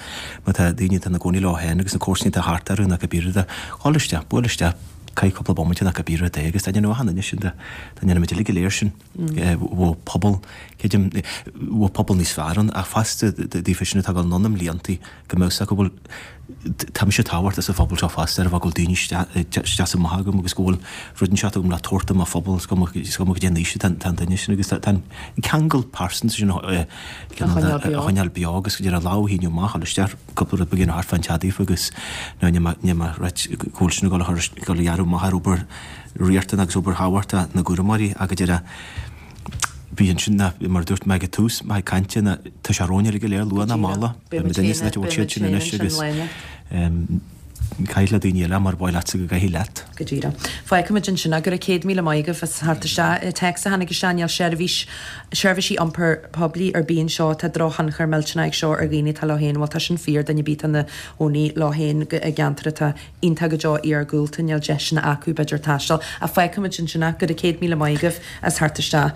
má tá daoine atá ina gcónaí leo féin agus na comharsanaí atá thart orthu nó cibé rud é dhul isteach buail isteach caith cúpla bomaite nó cibé rud é agus dá ndéanfadh achan duine sin dá ndéanfaimid uilig go léir sin bheadh pobal creidim bheadh pobal níos fearr ann ach fosta daofa sin atá ag dul anonn i mbliantaí go mbeadh 's acu go bhfuil tá mise tábhachtach sa phobal seo fosta ar a bheadh go bhfuil daoine isteach is amach agam agus go bhfuil rud inteacht agam le tabhairt do mo phobal is cuma is cuma goidé an aois atá an duine sin agus tá an ceangal pearsanta sin a choinneáil beo agus go deireadh lámh a shíneadh amach dul isteach cúpla rud beag a dhéanamh thart fán teach daofa agus nó níl mé níl mé ag ráit go bhfuil sin ag dul a chur ag dul a ghearradh amach ar obair riachtanach agus obair thábhachtach na gcúramóirí ach go deireadh Bhí ansin ná, mar a dúirt mé ag an tús, mo chuid cainte ná tá sé romhainn uilig go léir, luath ná mall. Beidh muid féin san áit a bhfuil siad sin anois agus caith le daoine eile mar ba mhaith leatsa go gcaithfí leat. Go díreach. Fágfaimid ansin é. Go raibh 100,000 maith agaibh as theacht isteach. Téacs a tháinig isteach, níl seirbhís, seirbhísí iompair poiblí ar bith anseo. Tá drochthionchar millteanach ag seo ar dhaoine atá leo féin. Bhuel tá sin fíor, duine ar bith atá ina chónaí leo féin i gceantar atá iontach go deo iargúlta, níl deiseanna acu b'fhéidir taisteal. Ach fágfaimid ansin é. Go raibh 100,000 maith agaibh as theacht isteach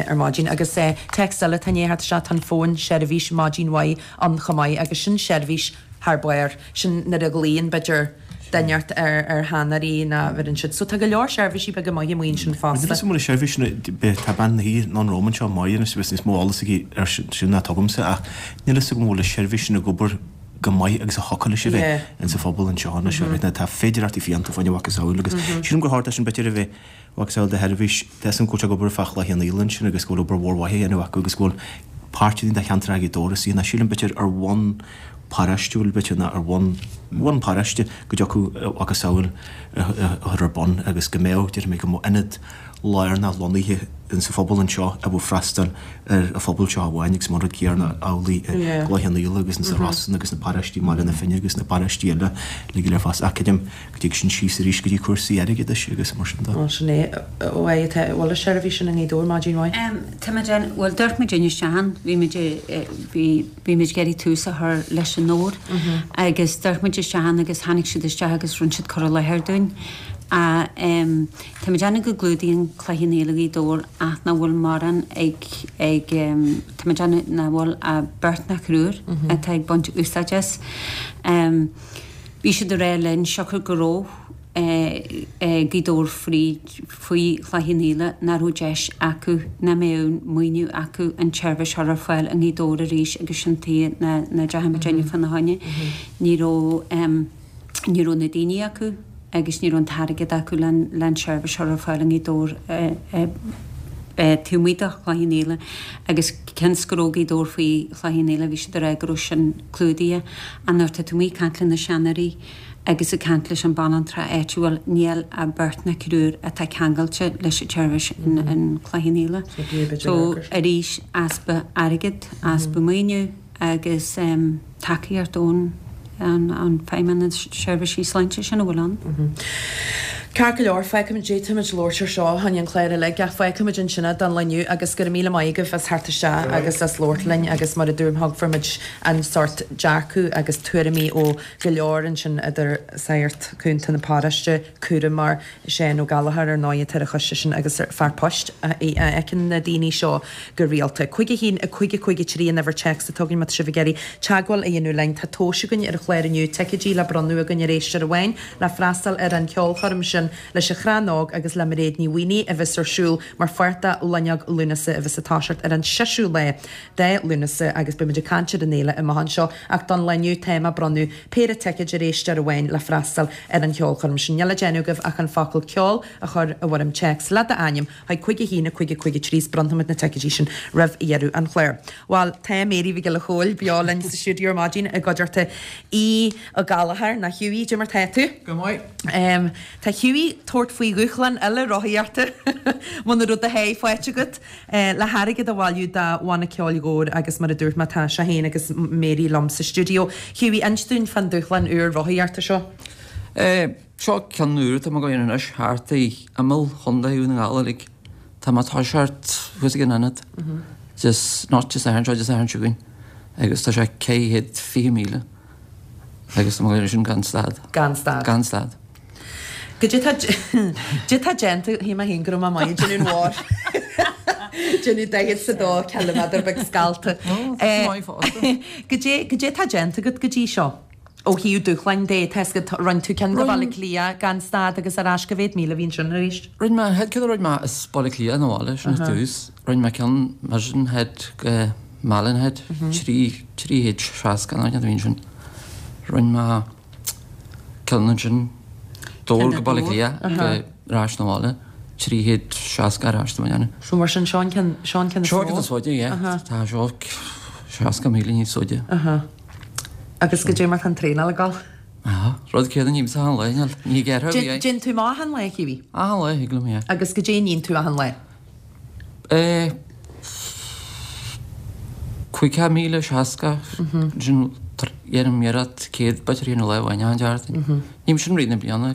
ar maidin. Agus téacs eile atá i ndiaidh theacht isteach, tá an fón seirbhís maidin mhaith ann chomh maith agus sin seirbhís thar barr. Sin nuair a ghlaonn b'fhéidir duine ort ar ar sheanóirí ná bheireann siad. So tá go leor seirbhísí beaga maithe amuigh ansin fosta. Níl 'fhios agam an bhfuil seirbhís sin, tá bean a thí anonn romham anseo, Máire, anois agus níos mó eolas aici ar sin ná atá agamsa ach níl 'fhios agam an bhfuil an seirbhís sin ag obair go maith agus a thiocfadh leis a bheith insa phobal anseo anois agus tá féidearthachtaí fiánta fá choinne mhacasamhail agus sílim gur chóir é sin b'fhéidir a bheith mhacasamhail de sheirbhís. Tá 'fhios agam go bhfuil sé ag obair fá Chloich Cheann Fhaola ansin agus go bhfuil obair mhór mhaith á dhéanamh acu agus go bhfuil páirteanna de cheantar Ghaoth Dobhair is ná sílim b'fhéidir ar bhonn paráistiúil b'fhéidir ná ar bhonn bhonn paráiste go dtiocfadh mhacasamhail a chur ar bun agus go mbeadh, déarfaidh mé, go mbeadh ionad lárnach lonnaithe insa phobal anseo a bheadh freastal ar an phobal seo amháin agus mar rud céanna amhlaidh i gCloich Cheann Fhaola agus insa Rosann agus na paráistí i mBaile na Finne agus na paráistí eile uilig go léir fosta. Ach creidim go dtig sin síos arís go dtí cúrsaí airgeadais agus mar sin de. Bhuel sin é. Ó a tá bhfuil an seirbhís sin i nGaoth Dobhair maidin mhaith. Tá muid ann, bhuel d'amharc muid isteach ann, bhí muid bhí bhí muid ag iarraidh tús a chur leis an obair agus d'amharc muid isteach ann agus tháinig siad isteach agus rinne siad cur i láthair dúinn. Tá mé ag déanamh go gclúdaíonn Cloich Cheann Fhaola Gaoth Dobhair ach nach bhfuil mórán ag, ag, tá mé ag déanamh nach bhfuil ach beirt nó triúr atá ag baint úsáid as. Bhí siad ag rá linn siocair go raibh Gaoth Dobhair fríd, faoi Chloich Cheann Fhaola nach raibh deis acu, nach mbeadh maoiniú acu an tseirbhís a chur ar fáil i nGaoth Dobhair arís agus sin tuige nach ndeachaigh muid inniu fána choinne. Ní raibh, ní raibh na daoine acu. agus ní raibh an t-airgead acu le an tseirbhís a chur ar fáil i nGaoth Dobhair taobh amuigh de Chloich Cheann Fhaola agus cionn is go raibh Gaoth Dobhair faoi Chloich Cheann Fhaola bhí siad ag rá go raibh sin clúdaithe ach nuair atá tú amuigh ag caint le na seanóirí agus ag caint leis an banaltra áitiúil níl ach beirt nó triúr atá ceangailte leis an tseirbhís in Cloich Cheann Fhaola. So arís easpa airgid, easpa maoiniú agus tacaíocht ón. An Feidhmeannas Seirbhísí Sláinte sin a bhfuil ann. Ceart go leor, fágfaimid, d'fhéadfaimis labhairt ar seo fá choinne an clár uilig ach fágfaimid ansin é don lá inniu agus go raibh míle maith agaibh as theacht isteach agus as labhairt linn agus mar a dúirt mé fuair muid an sórt dearcadh agus tuairimí ó go leor ansin idir sagart cúnta na paróiste, cúramóir, Seán Ó Gallchóir ar ndóigh atá ar an choiste sin agus fear poist a fheiceann na daoine seo go rialta. 5 1 5 5 3 an uimhir téacs atá againn má tá sibh ag iarraidh teagmháil a dhéanamh linn. Tá tomhais againn ar an chlár inniu, ticéidí le bronnadh againn ar éisteoir amháin le freastal ar an cheolchoirm sin leis an Chrann Óg agus le Mairéad Ní Mhaonaigh a bheas ar siúl mar pháirt de Loinneog Lúnasa a bheas ag toiseacht ar an seisiú lá de Lúnasa agus beidh muid ag caint ar an fhéile amach anseo ach don lá inniu táim ag bronnadh péire ticéid ar éisteoir amháin le freastal ar an cheolchoirm sin. Níl le déanamh agaibh ach an focal 'ceol' a chur i bhfoirm téacs le d'ainm chuig 5 1 5 5 3 is bronnfaimid na ticéidí sin roimh dheireadh an chláir. Bhuel, tá Mary Mhic Giolla Chóill beo linn sa stiúideo ar maidin i gcuideachta Aodh Ó Gallchóir, nó Hughie, cad é mar tá tú? Go maith. Tá Hughie ag tabhairt faoi dhúshlán eile rothaíochta muna raibh do sháith faighte agat. Le hairgead a bhailiú do Bhanna Ceoil Dhobhair agus mar a dúirt mé tá sé féin agus Mary liom sa stiúideo. Hughie, inis dúinn fán dúshlán úr rothaíochta seo. Seo ceann úr atá mé ag dul a dhéanamh anois thart i imeall Chontae Dhún na nGall uilig. Tá mé ag toiseacht thuas ag an ionad just not Dé Sathairn seo Dé Sathairn seo chugainn agus tá sé 420 míle agus tá mé ag dul a dhéanamh sin gan stad. Gan stad. Gan stad. Goidé tá goidé tá déanta, shíl mé féin go raibh mé maith ag déanamh an mhór. Déanamh 42 ciliméadar beag scallta. Goidé goidé tá déanta agat go dtí seo? Ó thaobh dúshláin de, tá 'fhios agat, rinne tú ceann go Baile Átha Cliath gan stad agus ar ais, cá mhéad míle a bhí ansin arís? Rinne mé, an chéad ceann a rinne mé as Baile Átha Cliath 'na bhaile, sin ar dtús. Rinne mé ceann Mizen Head go Malin Head, 360 nó a bhí ansin. Rinne mé Ceann ansin, Dobhar go Baile Átha Cliath go ar ais 'na bhaile, 360 ar ais do mo dhéanamh. So mar sin, seo an ceann, seo an ceann is mó? Seo an ceann is faide, yeah. Tá seo 60 míle níos faide. Agus goidé mar tá an traenáil ag dul? Aha, rud céanna a ním-sa achan lá, níl, ní gearrtha a bhí. Déanann tú amach achan lá, a Hughie? Achan lá, thig liom, yeah. Agus goidé a níonn tú achan lá? Eh, 50,060, sin dhéanaim iarracht 100 b'fhéidir a dhéanamh lá amháin achan tseachtain. Ním sin rith na bliana,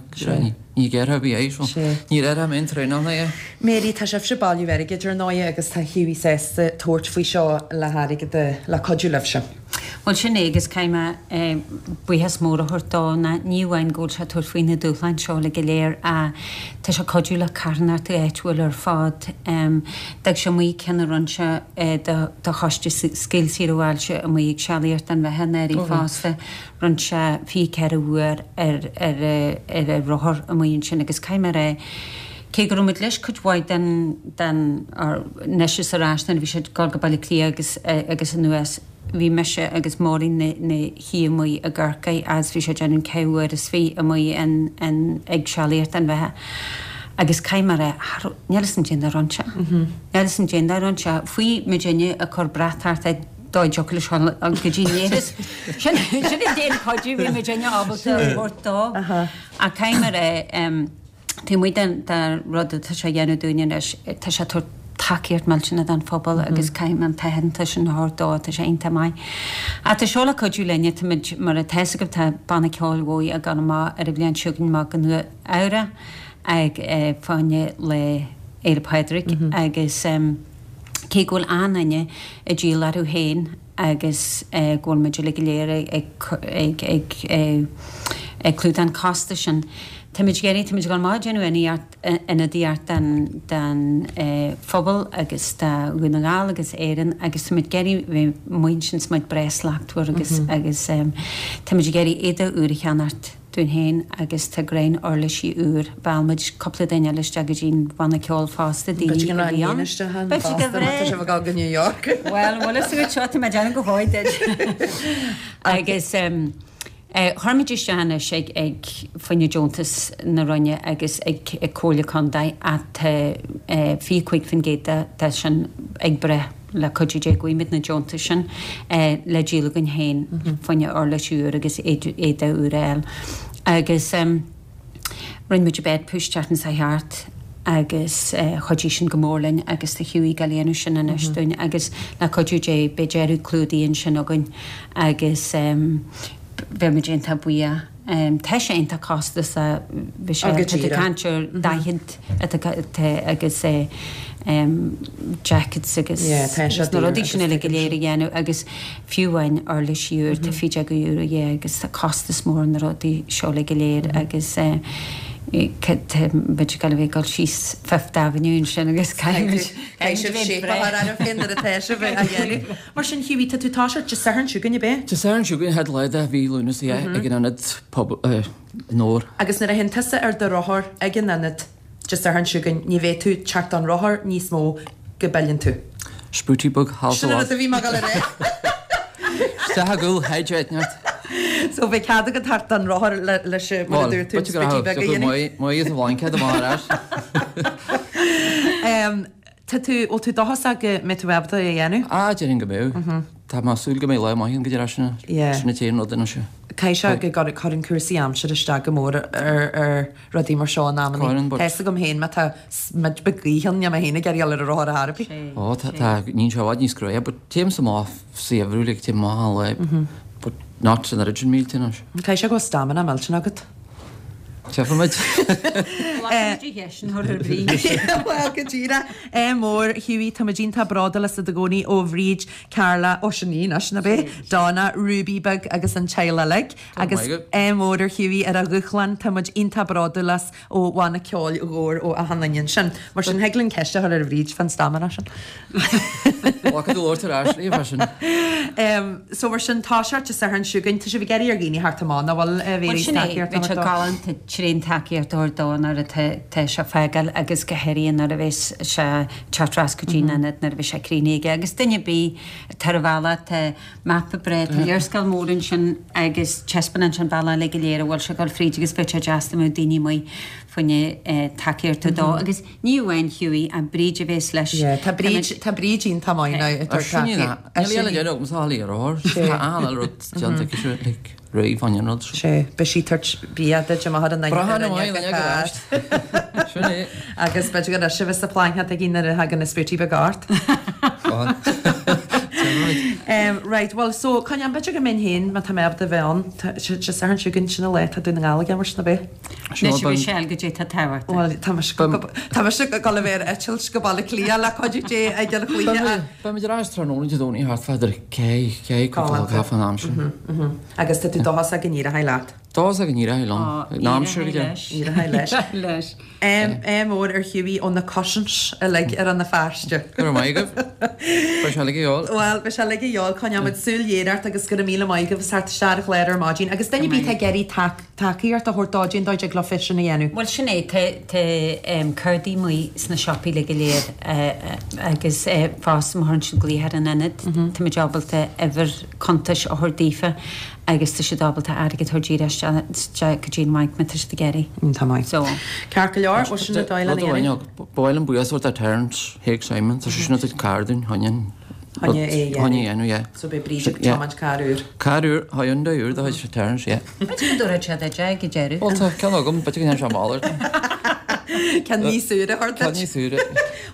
ní gearrtha a bhí é, so ní raibh mé aon traenáil é. Mary, tá sibhse ag bailiú airgid ar ndóigh agus tá Hughie sásta tabhairt faoi seo le hairgead a, le cuidiú libhse. Bhuel sin é agus caithfidh mé buíochas mór a thabhairt dó ná ní amháin go bhfuil sé ag tabhairt faoi na dúshláin seo uilig go léir ach tá sé ag cuidiú le carthanachtaí áitiúil ar fad. D'fhág sé amuigh ceann a rinne sé do choiste Scoil Saor Bhailte amuigh ag sealaíocht don bheatha anuraidh fosta. Rinne sé 24 uair ar ar a rothar amuigh ansin agus caithfidh mé a rá cé go raibh muid leis cuid mhaith den den anois is ar ais nuair a bhí sé ag dul go Baile Átha Cliath agus agus anuas bhí mise agus Máirín 'na shuí amuigh i gCorcaigh agus bhí sé ag déanamh ceithre huaire is fiche amuigh in in ag sealaíocht don bheatha agus caithfidh mé a rá cha raibh níl 'fhios a'm caidé a rinne sé níl 'fhios a'm caidé a rinne sé faoi muidinne ag cur brat thart air dá dtiocfadh leis dul go dtí an leithreas sin sin an t-aon chuidiú a bhí muidinne ábalta a thabhairt dó ach caithfidh mé a rá Taobh amuigh den rud atá sé a dhéanamh dúinne anois, tá sé ag tabhairt tacaíocht millteanach don phobal agus caithfidh mé an t-aitheantas sin a thabhairt dó, tá sé iontach maith. Ach tá seo le cuidiú linne, táimid, mar atá 'fhios agaibh, tá Banna Ceoil Mhóidh ag dul amach ar an bhliain seo chugainn amach go Nua Eabhrac ag fá choinne Lá Fhéile Pádraig agus cé go bhfuil achan duine ag díol orthu féin, agus go bhfuil muid uilig go léir ag ag clúdach an costas sin. Táimid ag iarraidh, táimid ag dul amach ag déanamh ionadaíocht don don phobal agus do Dhún na nGall agus Éirinn agus táimid ag iarraidh bheith amuigh ansin is muid breá slachtmhar agus agus táimid ag iarraidh éadaí úr a cheannacht. dúinn féin agus tá greim uirlisí úr. Mheall muid cúpla duine eile isteach go dtí an bhanna ceoil fosta, daoine a bhí ann. B'fhéidir go bhfuil Tá sibh ag dul go New York. Bhuel, bhfuil fhios agat seo, tá mé ag déanamh go mhaith duit. Agus chuir muid isteach anois ag ag fá choinne deontas na Roinne agus ag ag Comhairle Contae ach tá 25% de sin ag breith. Le cuidiú Dé gheobhaimid na deontais sin le díol againn féin fá choinne uirlis úr agus éadaí úr a fháil. Agus rinne muid bed push tseachtain seo thart agus chuidigh sin go mór linn agus tá Hughie ag dul a dhéanamh sin anois dúinn agus le cuidiú Dé beidh deireadh clúdaigh ansin againn agus. bheadh muid iontach buíoch. Tá sé iontach costasach, bhí sé, tá tú ag caint ar 40 atá agus jackets agus na rudaí sin uilig go léir a dhéanamh agus fiú amháin uirlisí úr, tá €15 a dhíth agus tá costas mór ar na rudaí seo uilig go léir agus tá muid ag dul a bheith ag dul síos Fifth Avenue ansin agus caithfidh Caithfidh sibh shape a chur oraibh féin nuair atá sibh á dhéanamh. Mar sin, Hughie, tá tú ag toiseacht Dé Sathairn seo chugainn, ab é? Dé Sathairn seo chugainn, chéad lá de mhí Lúnasa, yeah, ag an ionad pobail i nDobhar. Agus nuair a théann tusa ar do rothar ag an ionad Dé Sathairn seo chugainn, ní bheidh tú ag teacht don rothar níos mó go bpilleann tú. Spútaí beag thall Sin an rud a bhí mé ag dul a rá. Isteach i gcúl Hedge Eitneacht. So beidh cead agat teacht don rothar leis, mar a dúirt tú, an spútaí beag a dhéanamh. Maith is a bhlaincéad amach ar ais. Tá tú, bhfuil tú dóchasach go mbeidh tú ábalta é a dhéanamh? Ah, déarfainn go mbeidh. Tá mé ag súil go mbeidh lá maith ann go dtí ar ais sin sin an t-aon rud anois. Caithfidh sé go gcuireann cúrsaí aimsire isteach go mór ar ar rudaí mar seo in amannaí. Cuireann, but. Tá fhios agam féin má tá smid beag gaoithe ann, níl mé féin ag iarraidh dul ar an rothar ar chor ar bith. Ó, tá, tá, níonn sé i bhfad níos cruaidhe, but téimse amach sa gheimhreadh, like, téim amach an lá, but not an oiread sin mílte anois. Caithfidh sé go bhfuil stamina millteanach agat. Tchífimid. Glacfaimid a cheist an chur ar brí. Bhuel, go díreach. Ádh mór, Hughie, táimid iontach bródúil asat i gcónaí ó Bhríd, Carla, ó sin í anois, ná b'é? Donna, Ruby beag agus an teaghlach uilig. Agus ádh mór ar Hughie ar a dhúshlán, táimid iontach bródúil as. ó Bhanna Ceoil Dhobhair ó achan duine ansin. Mar sin, thig linn ceist a chur ar Bhríd fán stamina sin. Glacadh do labhairt ar ais léi freisin. So mar sin, tá sé Dé Sathairn seo chugainn. Tá sibh ag iarraidh ar dhaoine theacht amach, nach bhfuil, a Mhéirí, Bhuel sin é, tacaíocht bheadh sé a thabhairt dó? galánta tréan tacaíocht a thabhairt dó nuair atá tá sé ag fágáil agus go háirithe nuair a bheas sé ag teacht ar ais go dtí an ionad nuair a bheas sé críochnaithe aige. Agus duine ar bith atá ar an bhealach, tá Mapa breá, tá léarscáil mór ansin agus taispeánann sé an bealach uilig go léir a bhfuil sé ag dul fríd agus bheadh sé deas dá mbeadh daoine amuigh fá choinne tacaíocht a dó agus ní amháin Hughie ach Bríd a bhéas leis. Yeah, tá Bríd, tá Bríd iontach maith now ag tabhairt tacaíocht. Níl aon deireadh agamsa a fháil ar ár. Tá an-rud déanta aici seo, like. Réidh fá choinne an rud seo. Sea, beidh sí ag tabhairt bia duit amach ar an Braitheann an mhaith ag ár. Sin é. Agus b'fhéidir go raibh sibh sa phláincéad aici nuair a thagann na spútaí beaga ort. Right, bhuel, so, coinneáil, b'fhéidir go mbeinn féin, má tá mé ábalta a bheith ann, Dé Sathairn seo chugainn, sin an lá atá Dún na nGall ag imirt, ná b'é? Anois, a Mhichelle, goidé tá tábhachtach. Bhuel, tá mise tá mise ag dul a bheith ar eitilt go Baile Átha Cliath le cuidiú Dé ag an chluiche. Beimid ar ais tráthnóna Dé Domhnaigh thart fá idir ceith, ceith, cúpla Galánta. caife an am sin. Agus tá tú dóchasach go n-éireoidh leat? Dóchasach go n-éireoidh liom. An aimsir go deo. Éireoidh leis. leis. Ádh mór ar Hughie ó na Cushins uilig ar Rann na Feirste. Go raibh maith agaibh. Beidh sé uilig a dhíobháil. Bhuel, beidh sé uilig a dhíobháil. Coinneoimid súil ghéar ort agus go raibh míle maith agaibh as theacht isteach ar an chlár ar maidin. Agus duine ar bith atá ag iarraidh tacaíocht a thabhairt dó, cén dóigh a dtig leo é sin a dhéanamh? Bhuel, sin é. Tá cártaí amuigh sna siopaí uilig go léir agus fosta má chuireann siad glaoch ar an ionad, táimid ábalta uimhir cuntais a thabhairt daofa agus tá siad ábalta airgead a thabhairt díreach isteach go dtí an bhanc má tá siad ag iarraidh. Tá maith. So. Ceart go leor, bhuel sin an dóigh lena Rud amháin, dhéanamh. ba mhaith liom buíochas a thabhairt do Terence Haig Simon, tá seisean ag tabhairt carr dúinn, choinne an Choinne é a dhéanamh. Choinne é a dhéanamh, yeah. So beidh Bríd ag tiomáint carr úr. Carr úr, Hyundai úr de chuid Terence, yeah. B'fhéidir go dtabharfaidh sé duit é ag an deireadh. Bhuel tá ceann agam, b'fhéidir go ndéanfaidh sé malairt. Ceann níos úire a thabhairt duit. Ceann níos úire.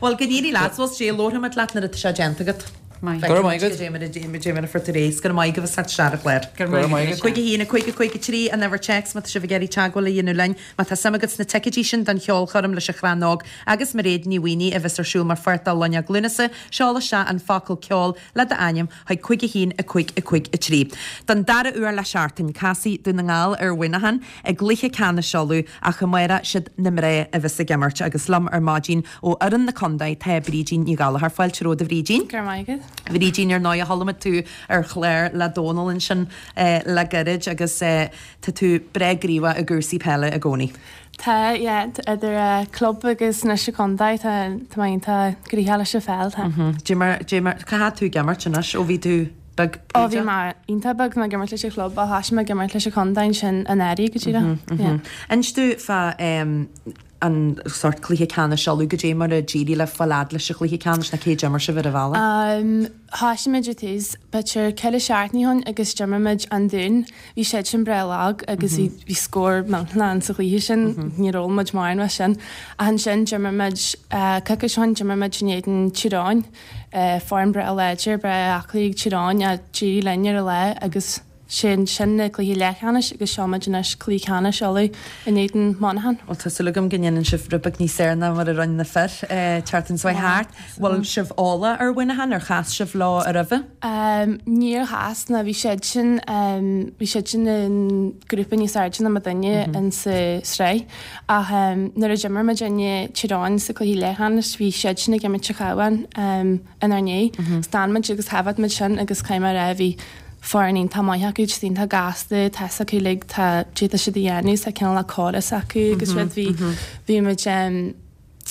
Bhuel, go n-éirí leat, bhuel sea, labharfaimid leat nuair atá sé déanta agat. Maith. Go raibh maith agat. Goidé mar a goidé mar a fuair tú réidh. Go raibh maith agaibh as theacht isteach ar an chlár. Go raibh maith agat. 5 1 5 5 3 an uimhir téacs má tá sibh ag iarraidh teagmháil a dhéanamh linn. Má tá suim agat sna ticéidí sin don cheolchoirm leis an Chrann Óg agus Mairéad Ní Mhaonaigh a bheas ar siúl mar pháirt de Loinnir Lúnasa, seol isteach an focal 'ceol' le d'ainm chuig 5 1 5 5 3. Don dara huair le seachtain, casfaidh Dún na nGall ar Mhuineachán i gcluiche ceannais Uladh ach amárach siad na mná a bheas ag imirt agus liom ar maidin ó fhoireann na contae tá Brídín Ní Ghallchóir. Fáilte romhat a Bhrídín. Go raibh maith agat. A Bhrídín, ar ndóigh chuala muid tú ar chlár le Dónal ansin le gairid agus tá tú breá gníomhach i gcúrsaí peile i gcónaí. Tá, yeah, idir club agus anois an contae, tá tá mé iontach gnoitheach leis an pheil, tá. Dé mar, dé mar, cá fhad tú ag imirt anois ó bhí tú beag Ó bhí mé iontach beag, tá mé ag imirt leis an chlub ach thoisigh mé ag imirt leis an chontae ansin anuraidh go díreach, yeah. Inis domh fá an sórt cluiche ceannais Uladh, goidé mar a d'éirigh libh fáil fhad leis an chluiche ceannais nó cé d'imir sibh ar an bhealach? Thoisigh muid ar tús, b'fhéidir ceithre seachtainí ó shin agus d'imir muid an Dún. Bhí siad sin breá lag agus bhí bhí scór millteanach ann sa chluiche sin, níor fhoghlaim muid mórán as sin. Ach ansin d'imir muid, coicís ó shin d'imir muid in éadan Tír Eoghain, foireann breá láidir, breá aclaí ag Tír Eoghain ach d'éirigh linn ar an lá agus. Sin sin na cluichí leathcheannais agus seo muid anois cluiche ceannais Uladh in éadan Monaghan. Bhuel tá súil agam go ndéanann sibh rud beag níos fearr ná mar a rinne na fir an tseachtain seo thart. Bhfuil sibh eolach ar Mhuineachán? Ar chas sibh leo roimhe? Níor chas ná bhí siad sin bhí siad sin i ngrúpa níos airde ná muidinne in sa sraith ach nuair a d'imir muidinne Tír Eoghain sa cluiche leathcheannais bhí siad sin ag imirt sa Chabhán inár ndiaidh. D'fhan muid agus thaifead muid sin agus caithfidh mé a rá bhí foireann iontach maith acu, just iontach gasta, tá fhios acu like tá cad tá siad a dhéanamh, tá cineál córas acu agus rud bhí bhí muid em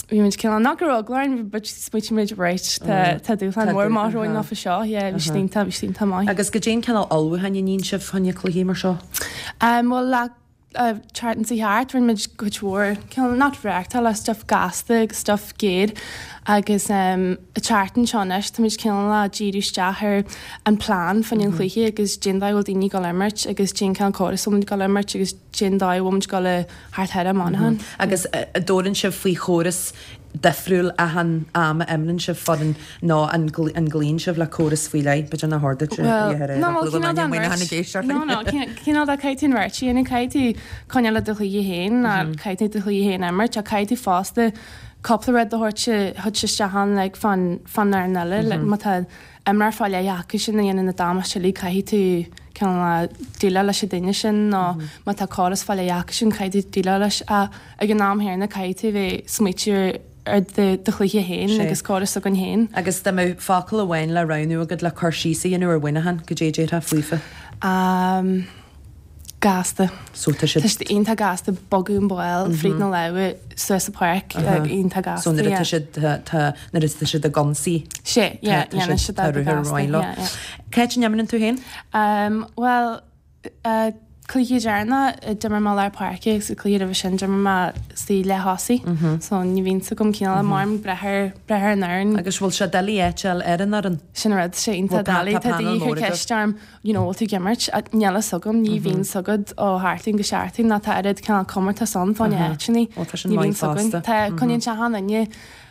bhí muid cineál nach go raibh eagla orainn but smaoitigh muid right tá tá dúshlán mór amach romhainn leofa seo yeah bhí siad iontach bhí siad iontach maith. Agus goidé an cineál ullmhúcháin a níonn sibh fá choinne cluichí mar seo? Em bhuel le tseachtain seo thart, rinne muid cuid mhór cineál not reáchtáil ach stuff gasta agus stuff géar agus an tseachtain seo anois táimid cineál ag díriú isteach ar an plean fá choinne an chluiche agus cén dóigh a bhfuil daoine ag dul a imirt agus cén cineál córas a bhfuil muid ag dul a imirt agus cén dóigh a bhfuil muid ag dul a theacht thar Monaghan. Agus an dtabhrann sibh faoi chóras difriúil achan am a imríonn sibh foireann nó an gcloíonn sibh le córas faoi leith? B'fhéidir nár chóir duit a Bhuel, no, bhuel, cineál den bheirt. No, no, cineál de caithfidh tú an bheirt a dhéanamh, caithfidh tú coinneáil le do chluiche féin, ná caithfidh tú do chluiche féin a imirt, ach caithfidh tú fosta cúpla rud a thabhairt thabhairt isteach ann like fán fán fhoireann eile, like má tá imreoir fá leith acu sin a dhéanann na damáiste uilig caithfidh tú cineál déileáil leis an duine sin nó má tá córas fá leith acu sin caithfidh tú déileáil leis ach ag an am chéanna caithfidh tú bheith smaoitiú ar do chluiche féin agus córas s'againn féin. Agus dá mbeadh focal amháin le roghnú agat le cur síos a dhéanamh ar Mhuineachán, goidé a déarfá faofa? Gasta. So tá siad. Tá siad iontach gasta, bogadh an ball fríd na lámha suas an pháirc, iontach gasta. So nuair atá siad, tá, nuair atá siad ag ionsaí. Sea, yeah, dhéanann siad tá ruathar gasta, maith leo. yeah, yeah. Cá háit a n-imríonn tú féin? Bhuel, Cluiche deireanach, d'imir mé lár páirce agus an cluiche roimhe sin d'imir mé sa leath-thosaí. So ní bhíonn 's agam cineál mar breith ar breith ar an fhoireann. Agus bhfuil sé doiligh áit a fháil ar an fhoireann? Sin an rud, sé iontach doiligh. Tá daoine ag cur ceist orm, you know, bhfuil tú ag imirt? Níl a fhios agam, ní bhíonn 's agat ó sheachtain go seachtain ná tá oiread cineál comórtas ann fá choinne áiteanna. Ní bhíonn 's againn. Tá, coinníonn sé achan duine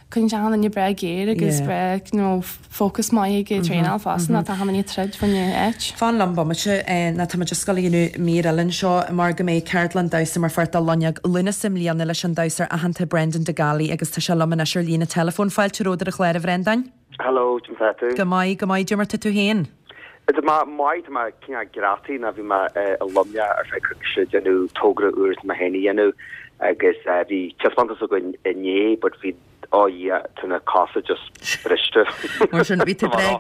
Coinníonn sé achan duine breá géar agus breá, you know, focus maith ag traenáil fosta ná tá achan duine ag troid fá choinne áit. Fan liom bomaite ná tá muid ag gabháil a dhéanamh mír eile anseo mar go mbeidh ceardlann damhsa mar pháirt de Loinneog Lúnasa i mbliana leis an damhsóir aitheanta Brendan De Gallaí agus tá sé liom anois ar líne teileafóin. Fáilte romhat ar an chlár a Bhrendáin. Hello, conas tá tú? Go maith, go maith, goidé mar tá tú féin? Tá mé maith, tá mé cineál greataí ná bhí mé i Luimneach ar feadh coicíse ag déanamh togra úr atá mé féin a dhéanamh agus bhí taispeántas againn inné but bhí, oh yeah, tá na cosa just briste. Mar sin, bhí tú breá,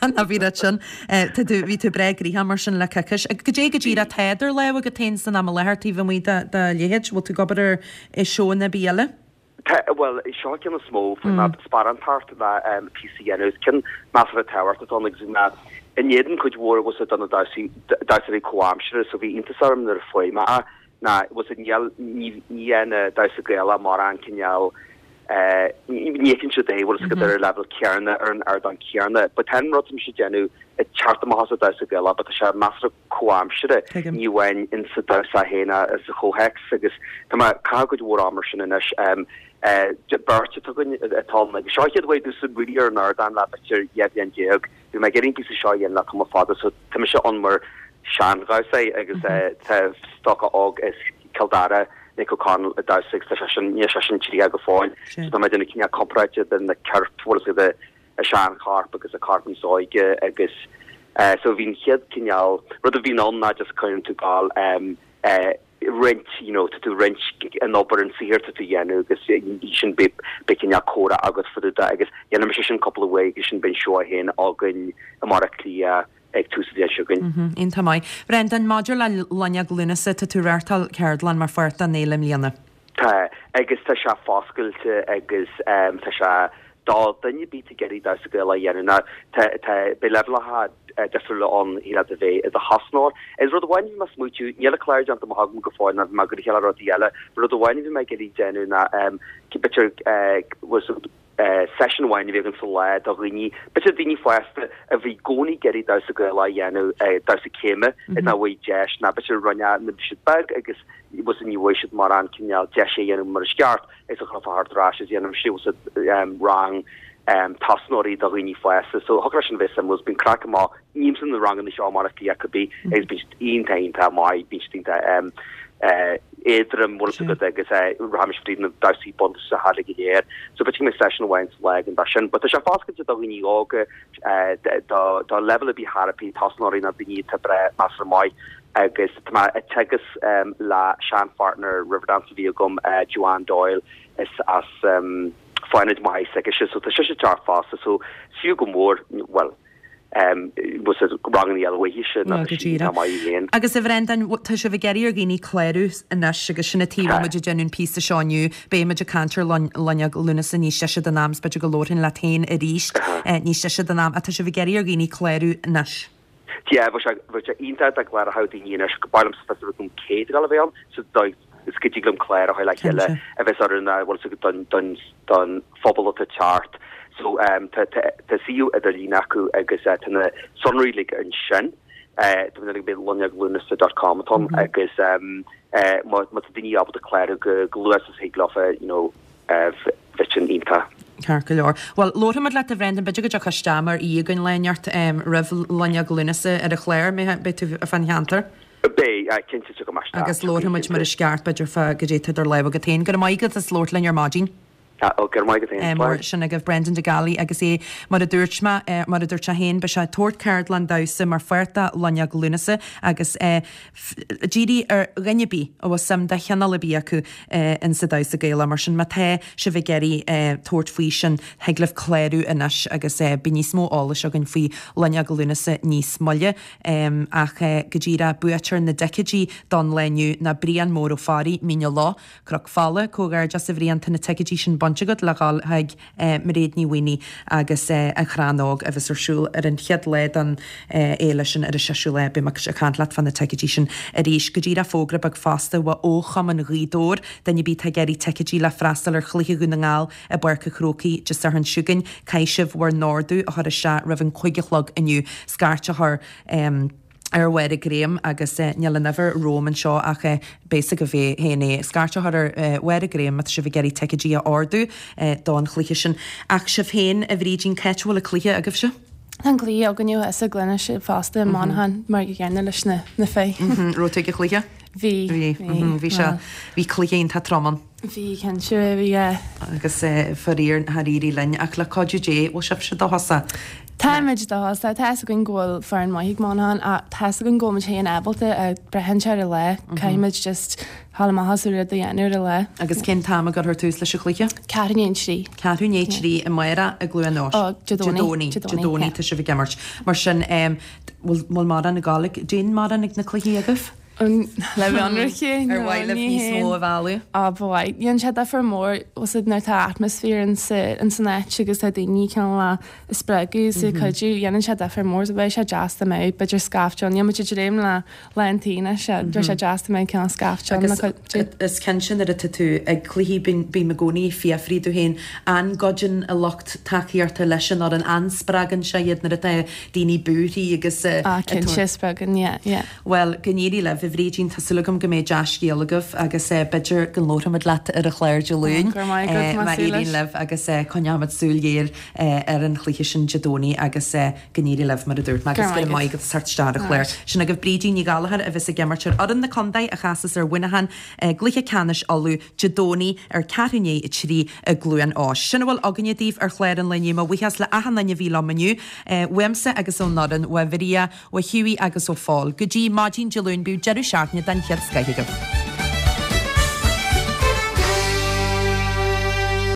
ná bhí rud sin, tá tú, bhí tú breá gnoitheach mar sin le coicís. Goidé go díreach atá idir lámha agat féin san am i láthair taobh amuigh de do leithéid, bhfuil tú ag obair ar seónna ar bith eile? Tá, bhuel, seo an ceann is mó faoi mar sparántacht le píosa a dhéanamh. Is ceann measartha tábhachtach atá ann agus bhí mé in éadan cuid mhór bhfuil 's a'd de na damhsóirí comhaimseartha so bhí iontas orm nuair a fuair mé é ná bhfuil 's a'd níl, ní, ní dhéanann damhsa Gaelach mórán cineál eh, ní fheiceann siad é bhfuil 's agat ar an leibhéal céanna, ar an ardán céanna. But tá an rud atá mise ag déanamh ag teacht amach as an damhsa Gaelach but tá sé measartha comhaimseartha, ní amháin in sa damhsa féin ach sa chomhthéacs agus tá mé ag caitheamh cuid mhór ama ar sin anois. Beirt atá againn atá ann agus seo an chéad uair domhsa really ar an ardán le b'fhéidir 12 bhliain. Bhí mé ag iarraidh an píosa seo a dhéanamh le tamall fada so tá mise ann mar sean-dhamhsaí agus tá stócach óg as Cill Dara, Nick O'Connell ag damhsa agus tá seisean, níl seisean 30 go fóill so tá mé ag déanamh cineál comparáide idir na coirp, bhfuil a fhios agat, a seanchorp agus a corp níos óige agus so bhí an chéad cineál rud a bhíonn ann ná just cuireann tú gal roinnt you know tá tú roinnt an obair an saothar tá tú dhéanamh agus sin beidh beidh cineál comhrá agat fá dtaobh de agus dhéanfaidh mise sin cúpla uair agus sin beidh an seó féin againn i mBaile Átha Cliath ag tús an bhliain seo chugainn. Iontach maith. Brendan, maidir le Loinneog Lúnasa, tá tú ag reáchtáil ceardlann mar pháirt den fhéile i mbliana. Tá, agus tá sé foscailte agus tá sé do dhuine ar bith atá ag iarraidh damhsa Gaelach a dhéanamh. Now, tá, tá, beidh leibhéalacha difriúla ann, thig leat a bheith i do thosnóir. Is rud amháin a bhí mé ag smaoitiú, níl an clár déanta amach agam go fóill ná bhí mé ag gabháil a chéile rudaí eile, rud amháin a bhí mé ag iarraidh déanamh ná, b'fhéidir, was, seisiún amháin a bhí againn sa lá do dhaoine, b'fhéidir daoine fásta a bhí i gcónaí ag iarraidh damhsa Gaelach a dhéanamh, damhsa céime, is nach bhfuair deis, ná b'fhéidir rinne nuair a bhí siad beag agus was ní bhfuair siad mórán cineál deis é a dhéanamh mar is ceart, is a chur thart ar ais is dhéanamh siad rang. tosnóirí do dhaoine fásta. So thiocfadh leis sin a bheith suimiúil. Bíonn craic go maith. Nímsa na ranganna seo mar a bhí acu bí agus bíonn siad iontach iontach maith, bíonn siad iontach éadrom bhfuil fhios agat agus rachaimis fríd na damhsaí bunúsacha uilig go léir. So b'fhéidir go mbeidh seisiún amháin sa lá againn dá sin. But tá sé foscailte do dhaoine óga, do do leibhéal ar bith thar tosnóirí nó daoine atá breá measartha maith agus tá mé ag teagasc le sean-pháirtneir Riverdance a bhí agam, Joanne Doyle, is as Fánaid Maigh s'aici so tá sise ag teacht fosta so is fiú go mór, bhuel, bhfuil fhios agat ranganna eile uaithise ná go díreach. maith féin. Agus a Bhrendáin, tá sibh ag iarraidh ar dhaoine clárú anois agus sin an tuige a bhfuil muid ag déanamh an píosa seo inniu. Beidh muid ag caint ar Loinneog Lúnasa níos deise den am, is b'fhéidir go labharfainn leat féin arís níos deise den am, ach tá sibh ag iarraidh ar dhaoine clárú anois. Yeah, bheadh sé, bheadh sé iontach dá gcláródh daoine anois, ba mhaith liomsa fios a bheith agam cé atá ag dul a bheith ann, so dóigh is go dtig liom clár a chur le chéile a bheas oiriúnach, bhfuil fhios agat, don, don, don phobal atá ag teacht. So tá, tá, tá suíomh idirlín acu agus tá na sonraí uilig ansin. Tá mé ag loinneoglunasa dot com atá ann agus má, má tá daoine ábalta clárú go, go luath is a thig leofa, you know, bheadh sin iontach. Ceart go leor. Bhuel, labharfaimid leat a Bhrendan, b'fhéidir go dtiocfá isteach mar aoi againn lá inteacht roimh Loinneog Lúnasa ar an chlár, mbeidh tú fán cheantar? Beidh, cinnte, tiocfaidh mé isteach. Agus labharfaimid mar is ceart, b'fhéidir, fá goidé atá idir lámha agat féin. Go raibh maith agat as labhairt linn ar maidin. Ó, go raibh maith agat féin. Mar sin agaibh Brendan De Gallaí agus é, mar a dúirt mé, mar a dúirt sé féin, beidh sé ag tabhairt ceardlann damhsa mar pháirt de Loinneog Lúnasa agus dírithe ar dhuine ar bith a bhfuil suim de chineál ar bith acu in sa damhsa Gaelach. Mar sin má tá sibh ag iarraidh tabhairt faoi sin, thig libh clárú anois agus beidh níos mó eolais againn faoi Loinneog Lúnasa níos moille. Ach go díreach, buaiteoir na dticéidí don lá inniu ná Brian Mór Ó Fearraigh, Mín an Loch, Cnoc Fola, Comhghairdeas a Bhriain, tá na ticéidí sin bainte agat le dhul chuig Mairéad Ní Mhaonaigh agus An Chrann Óg a bheas ar siúl ar an chéad lá den fhéile sin ar an seisiú lá. Beidh mé ag caint leat fá na ticéidí sin arís. Go díreach fógra beag fosta ó Chumann Ghaoth Dobhair, duine ar bith atá ag iarraidh ticéidí le freastal ar chluiche Dhún na nGall i bPáirc an Chrócaigh Dé Sathairn seo chugainn, caithfidh sibh bhur n-ordú a chur isteach roimh an cúig a chlog inniu. Scairt a chur ar Mháire Graham agus níl an uimhir romham anseo ach beidh fhios agaibh féin é. Scairt a chur ar Mháire Graham má tá sibh ag iarraidh ticéidí a ordú don chluiche sin. Ach sibh féin, a Bhrídín, cá háit a bhfuil an cluiche agaibhse? Tá an cluiche againne thuas i gCluain Eois fosta i Manchain mar an gcéanna leis na fir. Raibh tú ag an chluiche? Bhí. Bhí. Bhí sé, bhí cluiche iontach trom ann. Bhí, cinnte, bhí. Agus faraor nár éirigh linn, ach le cuidiú Dé, bhfuil sibhse dóchasach? Táimid dóchasach. Tá fhios againn go bhfuil foireann maith ag Manchain ach tá fhios againn go bhfuil muid féin ábalta ach braitheann sé ar an lá. Caithfidh muid just dhul amach as an rud a dhéanamh ar an lá. Agus cén t-am a gcuirfear tús leis an chluiche? Ceathrú i ndiaidh a trí. Ceathrú i ndiaidh a trí amárach i gCluain Eois. Ó, Dé Domhnaigh. Dé Domhnaigh. Dé Domhnaigh tá sibh ag imirt. Mar sin, bhfuil mórán ag gabháil ag, dtéann mórán ag na cluichí agaibh? Le bheith ionraic, Ar mhaith libh níos mó a mhealladh? Á, ba mhaith. Dhéanann sé difear mór, bhfuil fhios agat, nuair atá atmaisféar ins an áit agus tá daoine cineál á spreagadh is ag cuidiú, dhéanann sé difear mór. So bheadh sé deas dá mbeadh, b'fhéidir scaifte ann. Níl muid ag dréim le lán tí anois, bheadh sé deas dá mbeadh cineál scaifte ann le cuidiú. Agus is cinnte nuair atá tú ag cluichí, bím i gcónaí ag fiafraí domh féin, an gcuidíonn an lucht tacaíochta leis an fhoireann, an spreagann sé iad nuair atá daoine buartha agus. Á, cinnte, spreagann, yeah, yeah. Bhuel, go n-éirí libh, a Bhrídín, tá súil agam go mbeidh dea-scéal agaibh agus b'fhéidir go labharfaimid leat ar an chlár Dé Luain Go raibh maith agat, má éiríonn libh agus coinneoimid súil ghéar ar an chluiche sin Dé Domhnaigh agus go n-éirí libh mar a dúirt mé agus go raibh maith agat as teacht isteach ar an chlár. Sin agaibh Brídín Ní Ghallchóir a bheas ag imirt ar fhoireann na contae a chasas ar Mhuineachán i gcluiche ceannais Uladh Dé Domhnaigh ar ceathrú i ndiaidh 3 i gCluain Eois. Sin a bhfuil againne daoibh ar chlár an lae inniu. Mo bhuíochas le achan duine a bhí liom inniu, uaimse agus ón fhoireann, uaidh Mharia, ó Hughie agus ó Phól. Go dtí maidin Dé Luain bíodh deireadh seachtaine den chéad scoith agaibh.